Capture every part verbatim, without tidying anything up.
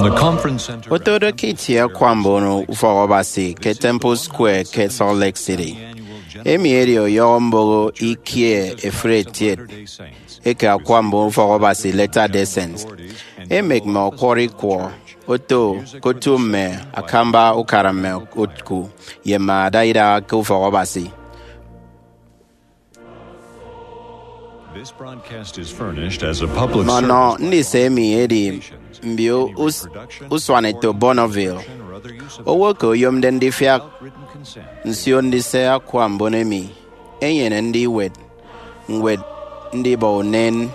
Otode ke itie akwa mbon ufọk Abasi ke Temple Square ke Salt Lake City, emi edi ọyọhọ mboho ikie efuri etiet eke akwa mbon ufọk Abasi Latter-day Saints, emek mme ọkwọrọ ikwọ oto ke otu mme akamba ukara mme oku ye mme ada idaha ke ufọk Abasi. This broadcast is furnished as a public Mme ọnọ service ndise emi edi mbio us- usuanetop Bonneville. Owo eke oyomde ndifiak nsio ndise akwa mbon emi enyene ndiwet ñwed ndibọ unen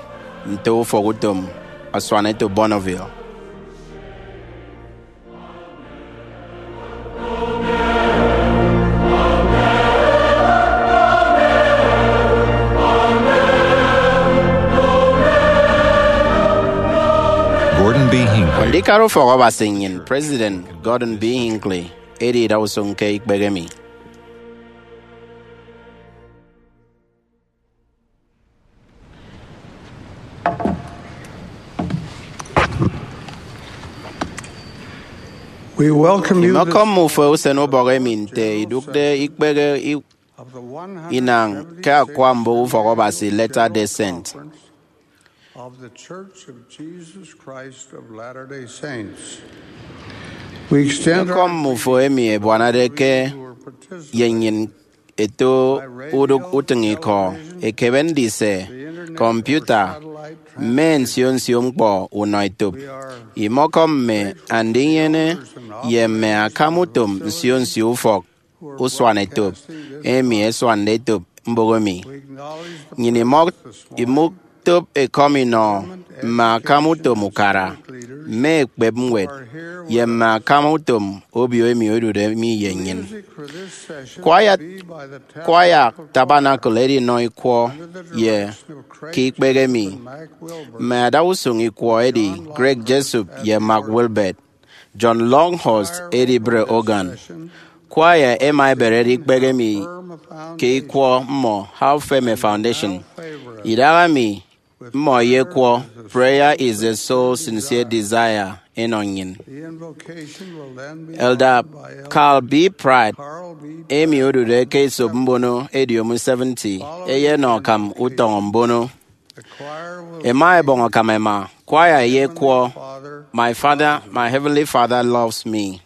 nte ufọkutom asuanetop Bonneville. Gordon B. Hinckley. Andikara ufọk Abasi nnyịn, President Gordon B. Hinckley, edi idausụñ ke ikpehe mi. We welcome you this Imọkọm mme ufo usen ubọk emi nte idụkde ikpehe i- of the inañ ke one hundred fifty-fifth akwa mbon ufọk Abasi Latter-day Saint. Of the Church of Jesus Christ of Latter-day Saints. We extend our Imọkọm mme ufo emi ebuanade ke greetings to our participants. Ye nnyịn eto udụk utịñikọ, ekebe ndise, kọmputa, mme nsio nsio ñkpọ unọ etop. Imọkọm mme andinyene ye mme akam utom nsio nsio ufọk usuanetop emi ẹsuande etop mboho mi. Nnyịn imọ- imọtop ekọm inọ mme akam utom ukara, mme ekpep ñwed, ye mme akam utom obio emi odude mi ye nnyịn. Kwaya, kwaya Tabernacle edinọ ikwọ ye ke ikpehe mi. Mme adausụñ ikwọ edi Greg Jessup ye Mark Wilbert. John Longhurst edibre organ. Kwaya ẹma ẹberede ikpehe mi ke ikwọ mmọ, How Firm a Foundation. Idaha mi, mmọ ẹyekwọ Prayer is the Soul's Sincere Desire ẹnọ nnyịn. Elder Carl B. Pratt, emi odude ke esop mbono ediomi seventy, eyenọ akam utọñọ mbono. Ẹma ẹbọñ akam ẹma. Kwaya ẹyekwọ, My Father, My Heavenly Father loves me.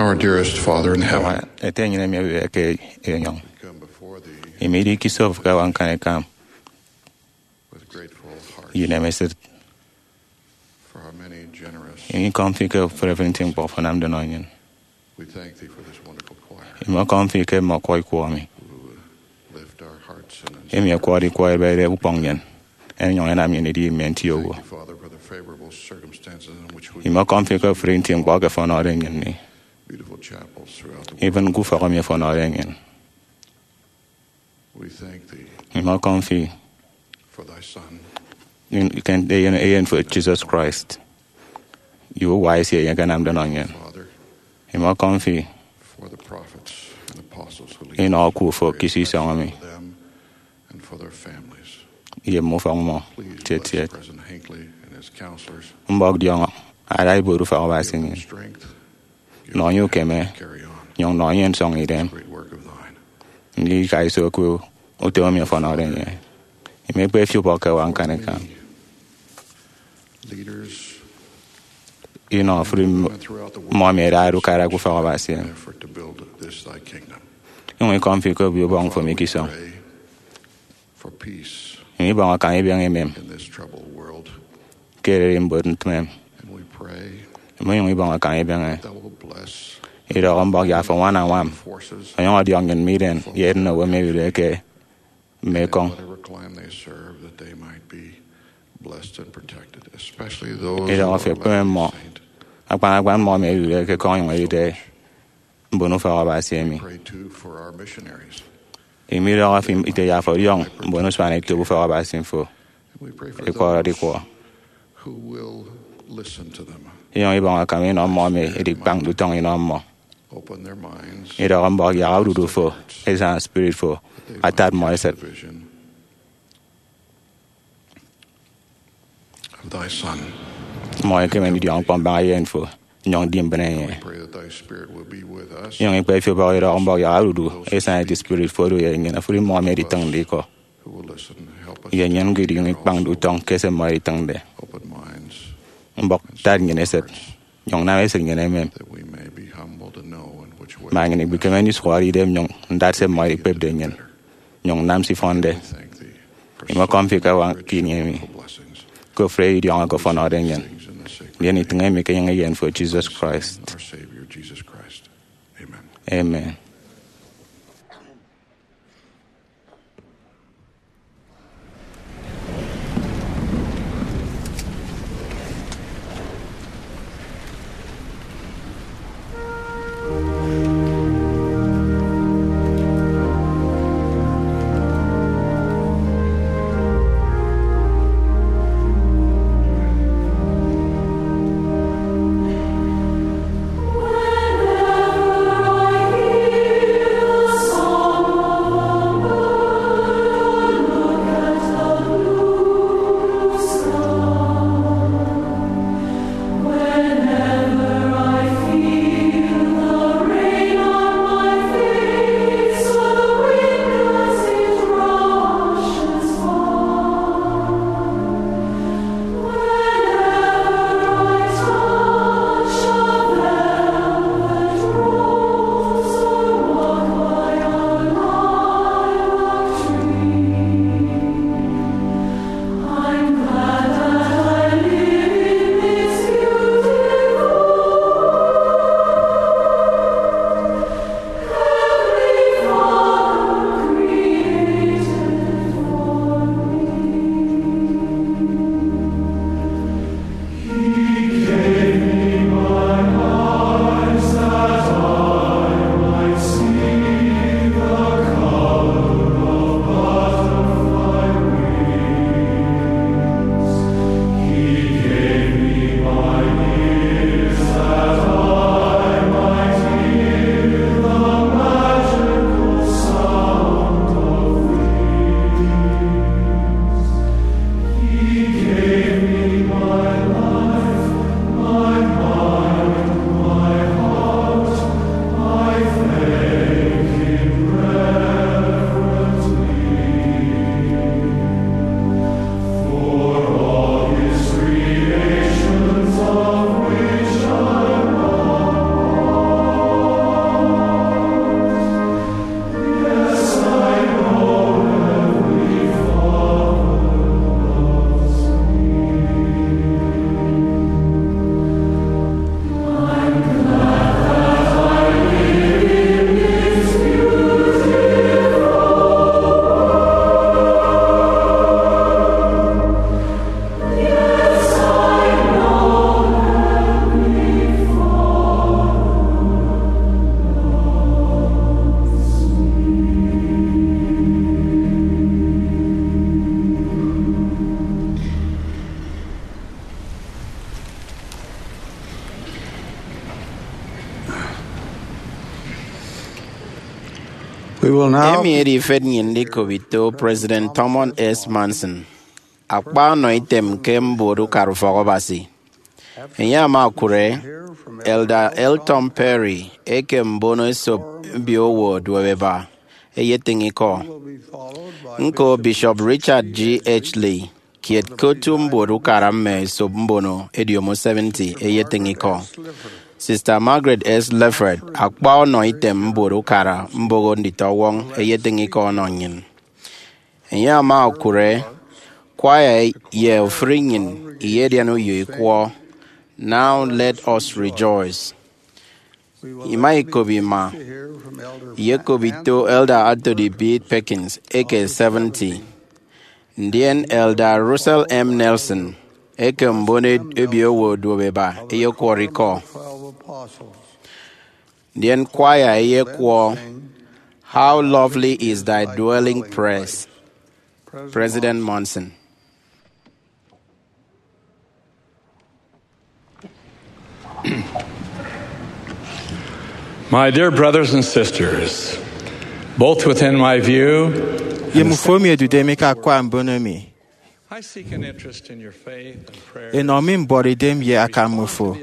Our dearest Father in heaven, Ete enyịn emi ewụhọ ke enyọñ, come before thee imi idi ke isop ke awa ñkanikam with grateful hearts ye inemesịt. For our many generous Imi ikọm fi ke ofụri ofụri nti ñkpọ fo anamde nọ nnyịn. We thank thee for this wonderful choir Imi ọkọm fi ke mme ọkwọ ikwọ emi who lift our hearts and emi ẹkwọde ikwọ ẹbede ukpọñ nnyịn, ẹnyụñ ẹnam nnyịn idi mme nti owo. Thank you, Father, for the favorable circumstances in which we Imi ọkọm fi ke ofụri nti ñkpọ ke fo ọnọde nnyịn mi, beautiful chapels throughout the world. Even ke ufọk emi fo ọnọde nnyịn. We thank thee Imi ọkọm fi for thy Son, in, ke eyen, eyen fo Jesus Christ, ye uwa esie enye akanamde nọ nnyịn. Father, Imi ọkọm fi for the prophets and apostles who lead inọ oku fo ke iso isọñ emi. Them and for their families. Ye mme ufọk mmọ. Please tiet bless tiet. President Hinckley and his counselors. Mbọk diọñọ ada ibuot ufak Abasi Give them emi. Strength. Nọ enye ukeme, Carry on nyụñ nọ enye nsọñ idem. Great work of thine. Ndika iso ke utom emi ọfọnọde enye. Imekpe fi ubọk ke awa ñkanikam. Leaders Inọ ofụri m-, throughout the world mmọ emi ẹdade ukara ke ufak Abasi emi. Effort to build this thy kingdom. Inyụñ ikọm fi ke obio ubọñ fo mi ke isọñ. Pray for peace Inyụñ ibọñ akam ibeñe emem in this troubled world. Ke ererimbot ntịmem. And we pray Inyụñ ibọñ akam ibeñe that will bless idọhọ mbọk ye afo ñwan añwam. Forces Onyụñ ọdiọk nnyịn mme idem ye edịnowo emi ẹdude ke mme ekọñ. Whatever clime they serve, that they might be blessed and protected, especially those Idọhọ who fi are ekpeme left mmọ, behind. Akpan akpan mmọ emi ẹdude ke ekọñ onyụñ edide mbon ufak Abasi emi. Pray too for our missionaries. Imi idọhọ fi ite ye afo ọdiọñ mbon usuan etop ufak Abasi fo. We pray for ẹkọrọde those ikwọ. Who will listen to them. Inyụñ ibọñ akam inọ mmọ emi edikpañde utọñ inọ mmọ. Open their minds Idọhọ mbọk yak odudu fo, esaña spirit fo, atat mmọ esịt. Vision of thy Son. Mmọ ẹkeme ndidiọñ ñkpọ mbaña eyen fo, nyụñ ndi mbịne enye. Pray that thy Spirit will be with us. Inyụñ ikpe fi ubọk idọhọ mbọk yak odudu, esaña eti spirit fo odu ye nnyịn, ofụri mmọ emi editịñde ikọ. Who will listen, help us ye nnyịn ñko idinyụñ ikpañde utọñ ke se mmọ editịñde. Open minds Mbọk tat nnyịn esịt, nyụñ nam esịt nnyịn emem. That we may be humble to know in which way Ma nnyịn ibikeme ndisụhọde idem nyụñ ndat se mmọ edikpepde nnyịn, nyụñ nnam se ifọnde. We thank thee for Imi ọkọm fi ke awa ke ini emi. Blessings. Ke ofụri idiọñọ ke ọfọnọde nnyịn. Things in the sacred Ndien itịñ emi ke enyịñ eyen fo Jesus Christ. Our Savior Jesus Christ. Amen. Amen. Emi edi ifet nnyịn ndikop ito President Thurman S. Monson, akpa ọnọ item ke mbuot ukara ufọkabasi. Enye ama okụre Elder L. Tom Perry eke mbono esop mbiowo oduobeba eyetịñ ikọ. Ñko, Bishop Richard G. H. Lee, kiet ke otu mbuot ukara mme esop mbono ediomo seventy, eyetịñ ikọ. Sister Margaret S. Lefford, akpa ọnọ item mbuot ukara mboho nditọwọñ, eyetịñ ikọ ọnọ nnyịn. Enye ama okụre kwaya ye ofụri nnyịn iyedian uyo ikwọ, Now Let Us Rejoice. Ima ikop ima, iyekop ito Elder Anthony B. Perkins eke seventy, ndien Elder Russell M. Nelson eke mbono ebiowo oduobeba eyekwọrọ ikọ. Ndien kwaya eyekwọ How Lovely Is Thy Dwelling Place, President Monson. My dear brothers and sisters, both within my view Ye mmufo emi ẹdude mi ke akwa mbono mi, I seek an interest in your faith and prayer. Enọ mi mbuọtidem ye akam mmufo,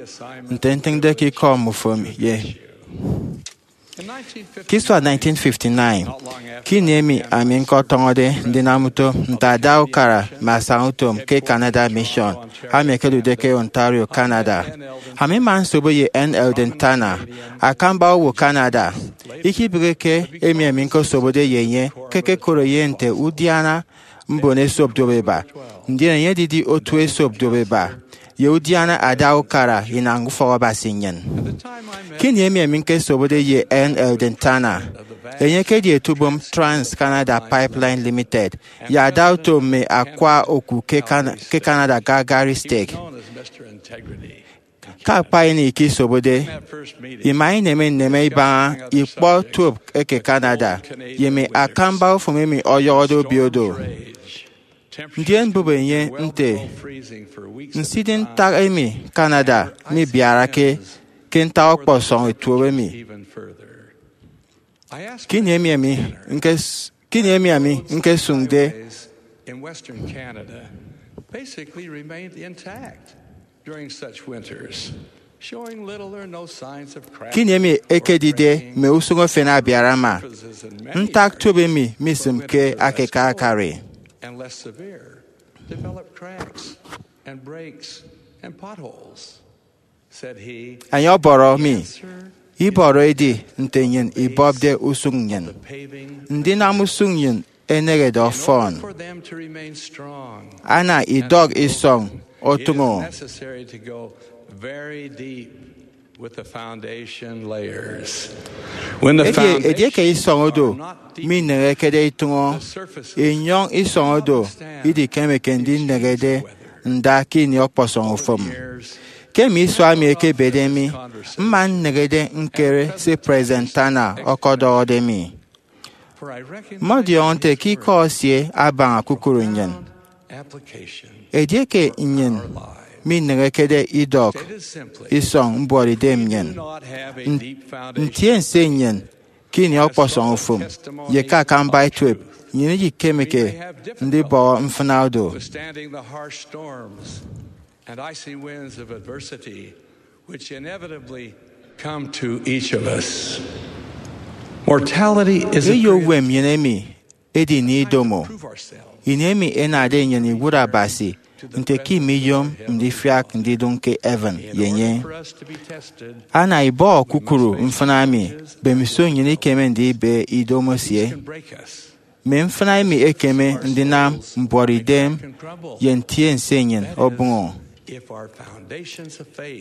nte ntịñde ke ikọ mmufo ye. Ke isua nineteen fifty-nine, ke ini emi ami ñkọtọñọde ndinam utom nte ada ukara mme asañautom ke Canada Mission, ami ekedude ke Ontario, Canada. Ami mma nsobo ye N. Eldon Tanner, akamba owo Canada. Ikebịghike emi ami ñkosobode ye enye ke ẹkekot enye nte udiana mbono esop duopeba, ndien enye edidi otu esop duopeba ye udiana ada ukara inañ ufọkabasi nnyịn. Ke ini emi ami ñkesobode ye N. Eldon Tanner, enye ekedi etubom Trans Canada Pipeline Limited ye ada utom mme akwa oku ke Can- ke Canada Calgary Stake. Ke akpa ini ikesobode, ima ineme nneme ibaña ikpọ tuop eke Canada ye mme akamba ufụm emi ọyọhọde obio do. Ndien mbụp enye nte, nsidi ntak emi Canada mibiarake ke ntak ọkpọsọñ etuowo mi. Ke ini emi ami ñkes- ke ini emi ami ñkesụñde in Western Canada basically remained intact during such winters, showing little or no signs of cracks. Ke ini emi ekedide mme usụñ efen abiarama, ntak tuop emi misịmke akaka akari. And less severe, developed cracks and breaks and potholes. Enye ọbọrọ mi, ibọrọ edi nte nnyịn ibọpde usụñ nnyịn. Ndinam usụñ nnyịn eneñede ọfọn. Ana idọk isọñ otụñọ. Edi edieke isọñ odo mineñekede itụñọ, inyọñ isọñ odo idikemeke ndineñede nda ke ini ọkpọsọñ ufụm. Ke mme isua emi ẹkebede mi, mma nneñede ñkere se President Tanner ọkọdọhọde mi. Mmọdiọñọ nte ke ikọ esie abaña kukụru nnyịn. Edieke nnyịn mineñekede idọk isọñ mbuọtidem nnyịn, n- ntiense nnyịn ke ini ọkpọsọñ ufụm, ye ke akamba etuep, nnyịn idikemeke ndibọhọ mfịna odo. Withstanding the harsh storms and icy winds of adversity which inevitably come to each of us. Mortality is a eyo period uwem nnyịn emi edi ini idomo, ini emi enade nnyịn iwụt Abasi nte ke imiyom ndifiak ndidụñ ke heaven ye enye. Ana ibọhọ kukụru mfịna emi, mbemiso nnyịn ikeme ndibe idomo esie. Mme mfịna emi ekeme ndinam mbuọtidem ye ntiense nnyịn obụñọ,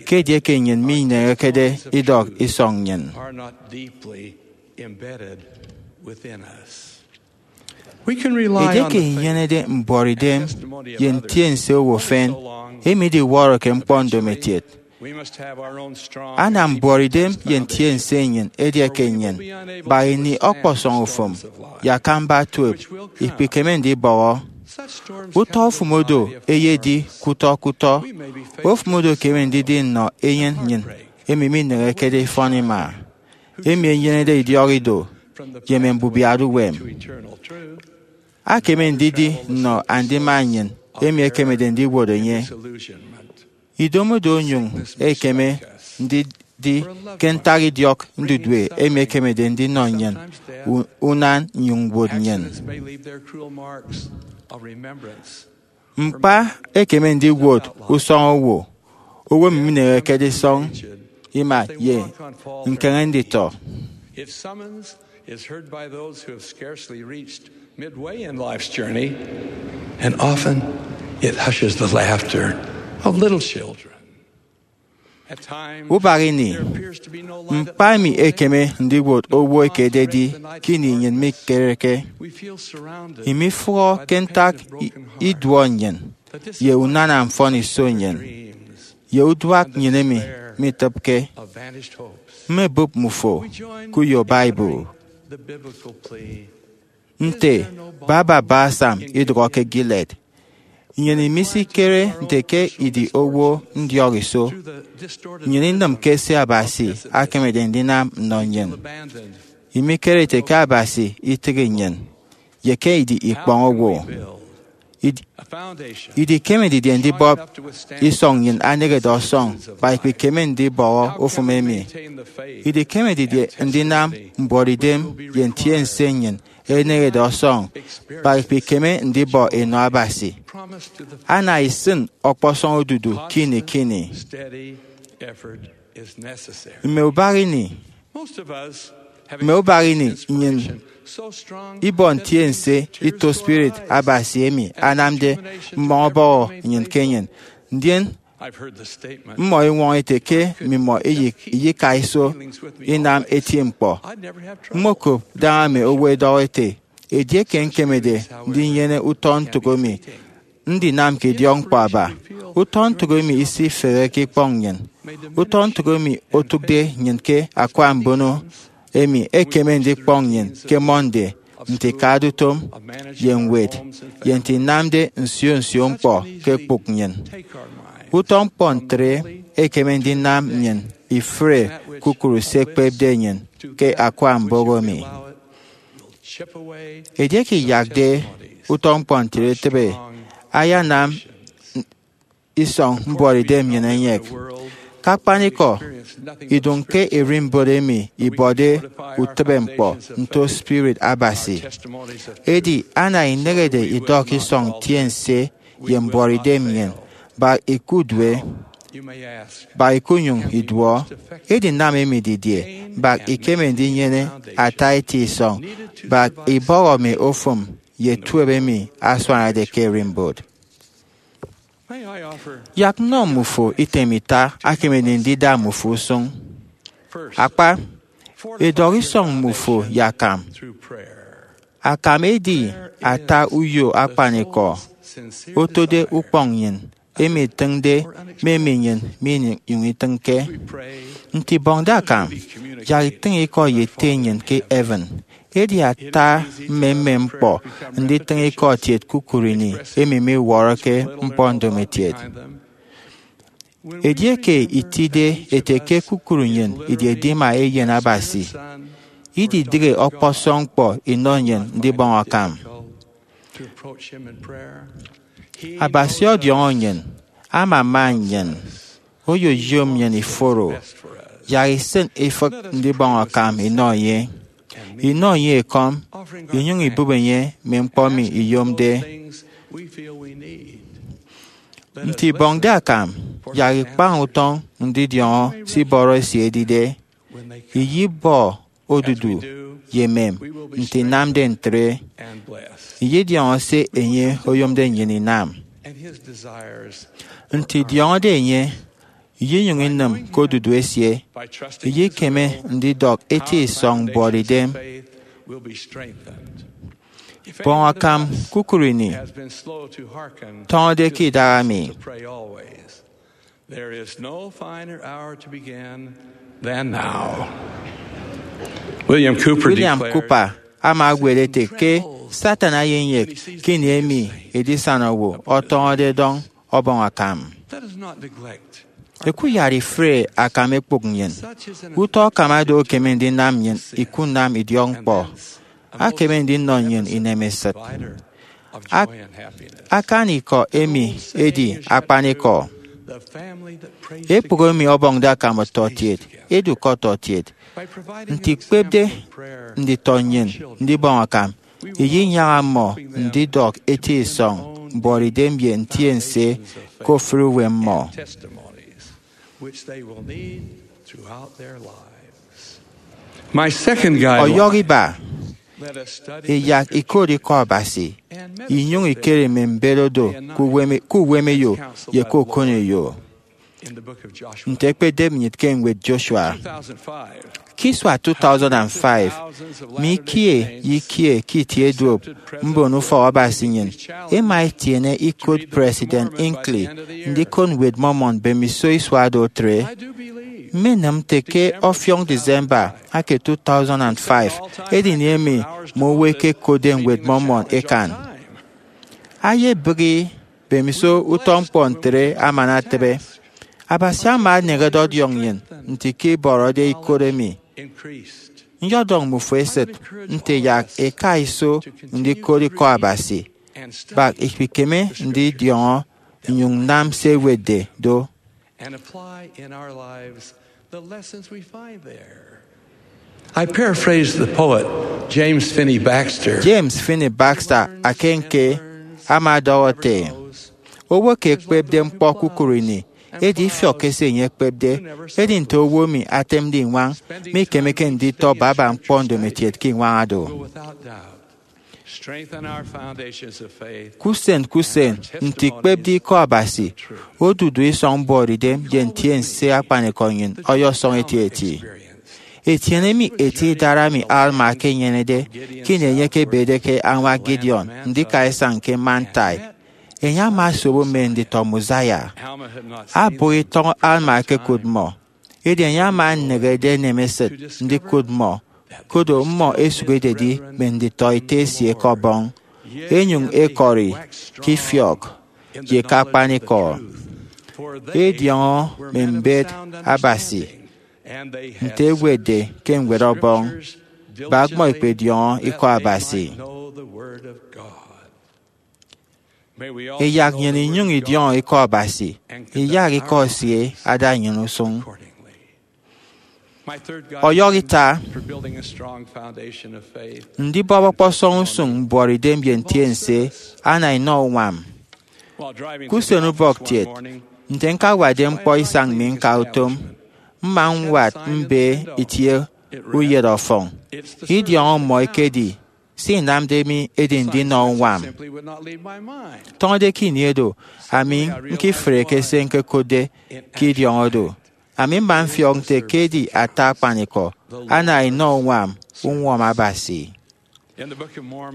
ke edieke nnyịn mineñekede idọk isọñ nnyịn. Edieke inyenede mbuọtidem ye ntiense owo efen, emi idiwọrọke ñkpọ ndomokiet. Ana mbuọtidem ye ntiense nnyịn edieke nnyịn, bak ini ọkpọsọñ ufụm ye akamba tuep, ikpikeme ndibọhọ. Utọ ofụm odo eyedi kutọ kutọ. Ofụm odo ekeme ndidi nnọ eyen nnyịn emi mineñekede ifọn ima, emi enyenede idiọk ido, ye mme mbubiat uwem. Akeme ndidi nnọ andima nnyịn emi ekemede ndiwot enye. Idomodo onyụñ ekeme ndidi ke ntak idiọk ndudue emi ekemede ndinọ nnyịn u- unan nnyụñ ñwot nnyịn. Ñkpa ekeme ndiwot usọñ owo, owo emi mineñekede isọñ ima ye ñkeñe nditọ. Is heard by those who have scarcely reached midway in life's journey, and often it hushes the laughter of little children. At times, Ubak ini, there appears to be no light at ñkpa emi ekeme ndiwot owo ekededi ke ini nnyịn mikereke. Imifụhọ ke ntak i- iduọ nnyịn, ye unana mfọn iso nnyịn, ye uduak nnyịn emi mitịpke. Mmebụp mmufo ke uyo Bible nte baba balsam idụhọ ke Gilead. Nnyịn imisikere nte ke idi owo ndiọk iso, nnyịn inịm ke se Abasi akemede ndinam nnọ nnyịn. Imikere ete ke Abasi itịghi nnyịn, ye ke idi ikpọñ owo. Id- Idikeme didie ndibọp isọñ nnyịn anehede ọsọñ, kpa ikpikeme ndibọhọ ofụm emi. Idikeme didie ndinam mbuọtidem ye ntiense nnyịn enehede ọsọñ, kpa ikpikeme ndibọ enọ Abasi. Ana isịn ọkpọsọñ odudu ke ini ke ini. Mme ubak ini, mme ubak ini nnyịn ibọ ntiense ito spirit Abasi emi anamde mmọñ ọbọhọ nnyịn ke enyịn, ndien mmọ iñwọñọ ete ke mmimọ iyik- iyika iso inam eti ñkpọ. Mmokop daña mme owo ẹdọhọ ete, edieke ñkemede ndinyene utọ ntụk emi, ndinam ke idiọkñkpọ aba. Utọ ntụk emi isifeheke ikpọñ nnyịn. Utọ ntụk emi otụkde nnyịn ke akwa mbono emi ekeme ndikpọñ nnyịn ke Monday nte ikadutom ye ñwed ye nte inamde nsio nsio ñkpọ ke ekpụk nnyịn. Utọ ñkpọ ntre ekeme ndinam nnyịn ifre kpukpru se ekpepde nnyịn ke akwa mbono emi. Edieke iyakde utọ ñkpọ ntre etịbe, ayanam isọñ mbuọtidem nnyịn enyek. Ke akpanikọ, idụñ ke ererimbot emi ibọde utịbe ñkpọ nto spirit Abasi. Edi ana inehede idọk isọñ ntiense ye mbuọtidem nnyịn, bak ikudue, bak ikunyụñ iduọ, edinam emi didie, bak ikeme ndinyene ata eti isọñ, bak ibọhọ mme ofụm ye tuep emi asuanade ke ererimbot. Yak nnọ mmufo item ita akemede ndida mmufo usụñ. Akpa, edọk isọñ mmufo ye akam. Akam edi ata uyo akpanikọ otode ukpọñ nnyịn, emi itịñde mme emi nnyịn minyụñ itịñke. Nte ibọñde akam, yak itịñ ikọ ye Ete nnyịn ke heaven. Edi ata mmemmem ñkpọ nditịñ ikọ kiet kpukpru ini emi miwọrọke ñkpọ ndomokiet. Edieke itide ete ke kpukpru nnyịn idi edima Eyen Abasi, ididịghe ọkpọsọñ ñkpọ inọ nnyịn ndibọñ akam. Abasi ọdiọñọ nnyịn, amama nnyịn, oyoyom nnyịn iforo, yak isịn ifịk ndibọñ akam inọ enye. Inọ enye ekọm, inyụñ ibụp enye mme ñkpọ emi iyomde. Nte ibọñde akam, yak ikpañ utọñ ndidiọñọ se ibọrọ esie edide. Iyibọ odudu ye emem nte inamde ntre. Iyidiọñọ se enye oyomde nnyịn inam. Nte idiọñọde enye, iyinyụñ inịm ke odudu esie. Iyikeme ndidọk eti isọñ mbuọtidem. Bọñ akam kpukpru ini, tọñọde ke idaha mi. There is no finer hour to begin than now. William Cooper William declared, Cooper ama añwet ete ke Satan eyenyek ke ini emi edisana owo ọtọñọde edọñ ọbọñ akam. Let us not neglect Ẹkuyat ifụre akam ẹkpụk nnyịn. Utọ akam ado ekeme ndinam nnyịn ikunam idiọkñkpọ. Akeme ndinnọ nnyịn inemesịt. Ak- Akani ikọ emi edi akpanikọ. Ekpụk emi ọbọñde akam ọtọkiet, edi ke ọtọkiet. Nte ikpepde nditọ nnyịn ndibọñ akam, iyinyaña mmọ ndidọk eti isọñ mbuọtidem ye ntiense ke ofụri uwem mmọ. Ọyọhọ iba, iyak ikot Ikọ Abasi inyụñ ikere mme mbet odo ke uwemeyo ye ke okoneyo. Nte ekpedep nnyịn ke ñwed Joshua. Ke isua two thousand and five, mi ikie ye ikie ke itie duop mbon ufọk Abasi nnyịn ẹma ẹtiene ikot President Hinckley ndikot Ñwed Mormon mbemiso isua do tre. Mmenịm nte ke ọfiọñ December eke two thousand and five edi ini emi mme owo ẹkekotde Ñwed Mormon ẹkan. Ayebịghi mbemiso utọ ñkpọ ntre aman atịbe. Abasi ama aneñede ọdiọñ nnyịn nte ke ibọrọde ikot emi. Nyọdọñ mmufo esịt nte yak ika iso ndikot Ikọ Abasi, bak ikpikeme ndidiọñọ nnyụñ nam se ẹwetde do. I paraphrase the poet James Finney Baxter. James Finney Baxter akanke ama ọdọhọ ete, owo eke ekpepde ñkpọ kpukpru ini edi ifiọkke se enye ekpepde, edi nte owo emi atemde iñwañ mikemeke nditọ baba ñkpọ ndomokiet ke iñwaña do. Ke usen ke usen, nte ikpepde Ikọ Abasi, odudu isọñ mbuọtidem ye ntiense akpanikọ nnyịn ọyọsọñ etieti. Etiene mi eti idara emi Alma ekenyenede ke ini enye ekebede ke añwa Gideon ndika isañ ke Manti. Enye ama asobo mme nditọ Mosiah. Abuha itọñ Alma ekekot mmọ, edi enye ama eneñede enem esịt ndikot mmọ, koro mmọ ẹsụk ẹdedi mme nditọ Ete esie ke Ọbọñ, ẹnyụñ ẹkọri ke ifiọk ye ke akpanikọ, ẹdiọñọ mme mbet Abasi, nte ẹwetde ke Ñwed Ọbọñ, bak mmọ ẹkpediọñọ Ikọ Abasi. Iyak nnyịn inyụñ idiọñọ Ikọ Abasi, iyak Ikọ esie ada nnyịn usụñ. Ọyọhọ ita, ndibọp ọkpọsọñ usụñ mbuọtidem ye ntiense ana inọ uñwam. Ke usenubọk kiet, nte ñkawatde ñkpọ isañ mi ñka utom, mma ñwat mbe itie uyet ọfọñ. Idiọñọ mmọ ekedi se inamde mi edi ndinọ uñwam. Tọñọde ke ini edo, ami ñkifreke se ñkekotde ke idiọñọ do. Ami mma mfiọk nte ke edi ata akpanikọ ana inọ uñwam uñwọñọ Abasi.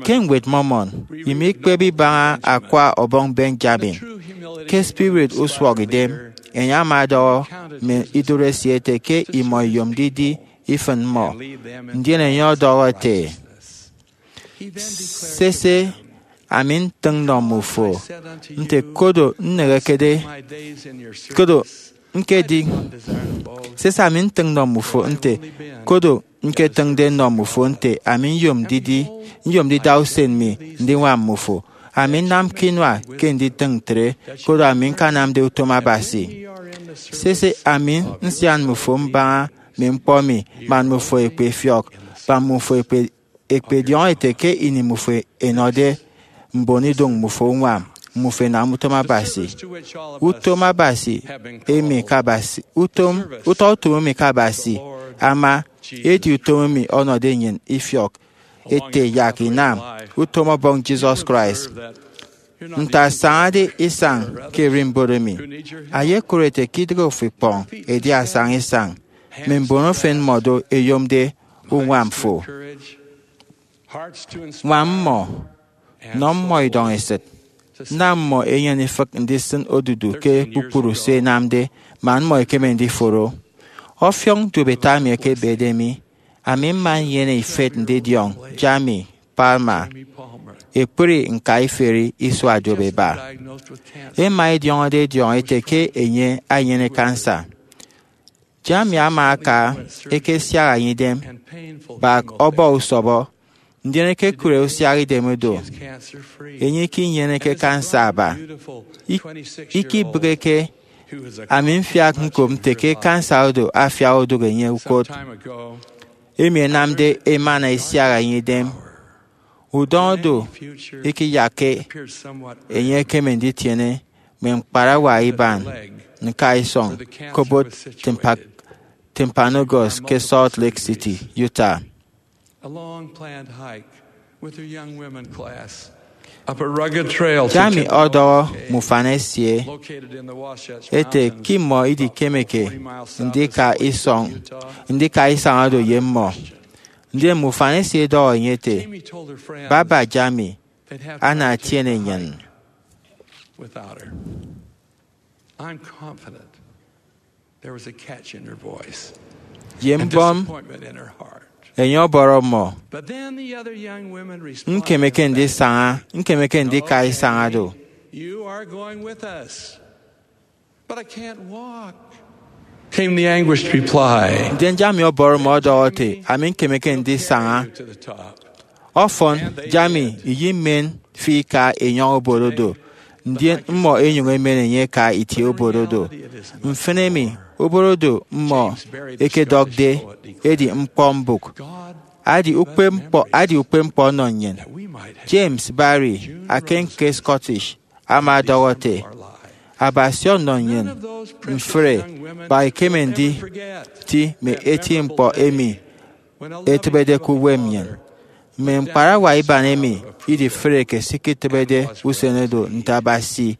Ke Ñwed Mormon, imikpep ibaña Akwa Ọbọñ Benjamin. Ke spirit usụhọkidem, enye ama ọdọhọ mme idụt esie ete ke imọ iyom didi ifịn mmọ, ndien enye ọdọhọ ete, sese, ami ntịñ nnọ mmufo nte kodo nnehekede, kodo ñkedi, sese, ami ntịñ nnọ mmufo nte kodo ñketịñde nnọ mmufo nte ami nyom didi, nyom ndida usen mi ndiñwam mmufo. Ami nnamke inua ke nditịñ ntre, koro ami ñkanamde utom Abasi. Sese, ami nsian mmufo mbaña mme ñkpọ mi, man mmufo ẹkpefiọk, man mmufo ẹkpe, ẹkpediọñọ ete ke ini mmufo ẹnọde mboniduñ mmufo uñwam, mmufo ẹnam utom Abasi. Utom Abasi emi ke Abasi, utom, utọ utom emi ke Abasi ama, edi utom emi ọnọde nnyịn ifiọk ete yak inam utom Ọbọñ Jesus Christ. Nte asañade isañ ke ererimbot emi, ayekụre ete ke idịghe ofo ikpọñ edi asaña isañ, mme mbon efen mmọ do ẹyomde uñwam fo. Ñwam mmọ, nọ mmọ idọñesịt, nam mmọ ẹnyene ifịk ndisịn odudu ke kpukpru se ẹnamde, man mmọ ẹkeme ndiforo. Ọfiọñ duopeta emi ekebede mi, ami mma nnyene ifet ndidiọñ Jamie Palmer ekpri ñkaiferi isua duop eba. Ema ediọñọde ediọñọ ete ke enye enyene kansa. Jamie ama aka eke siak enyịñ idem, bak ọbọ usọbọ, ndien ekekụre usiak idem do. Enye ikinyeneke kansa aba. Ikibịghike, ami mfiak ñkop nte ke kansa odo afiak odụk enye ukot, emi enamde emana esiak enyịñ idem. Udọñ odo ikiyakke enye ekeme nditiene mme ñkparawa iban ñka isọñ ke obot Timpanogos ke Salt Lake City, Utah. Jamie ọdọhọ mme ufan esie ete ke imọ idikemeke ndika isañ oro ye mmọ. Ndien mme ufan esie edọhọ enye ete, Baba Jamie, ana etiene nnyịn. Ye mbọm, enye ọbọrọ mmọ, Ñkemeke ndisaña, ñkemeke ndika isañ oro. Ndien Jamie ọbọrọ mmọ ọdọhọ ete, Ami ñkemeke ndisaña. Ọfọn, Jamie, iyimen fi ika enyọñ obot odo, ndien mmọ enyuñ emen enye eka itie obot odo. Mfịn emi, obot odo mmọ ekedọkde edi ñkpọ mbụk. Adi ukpepñkpọ, adi ukpepñkpọ ọnọ nnyịn. James Barrie, akan ke Scottish, ama ọdọhọ ete, Abasi ọnọ nnyịn mfre, bak ikeme nditi mme eti ñkpọ emi etịbede ke uwem nnyịn. Mme ñkparawa iban emi idifreke sikitịbede usen odo nte Abasi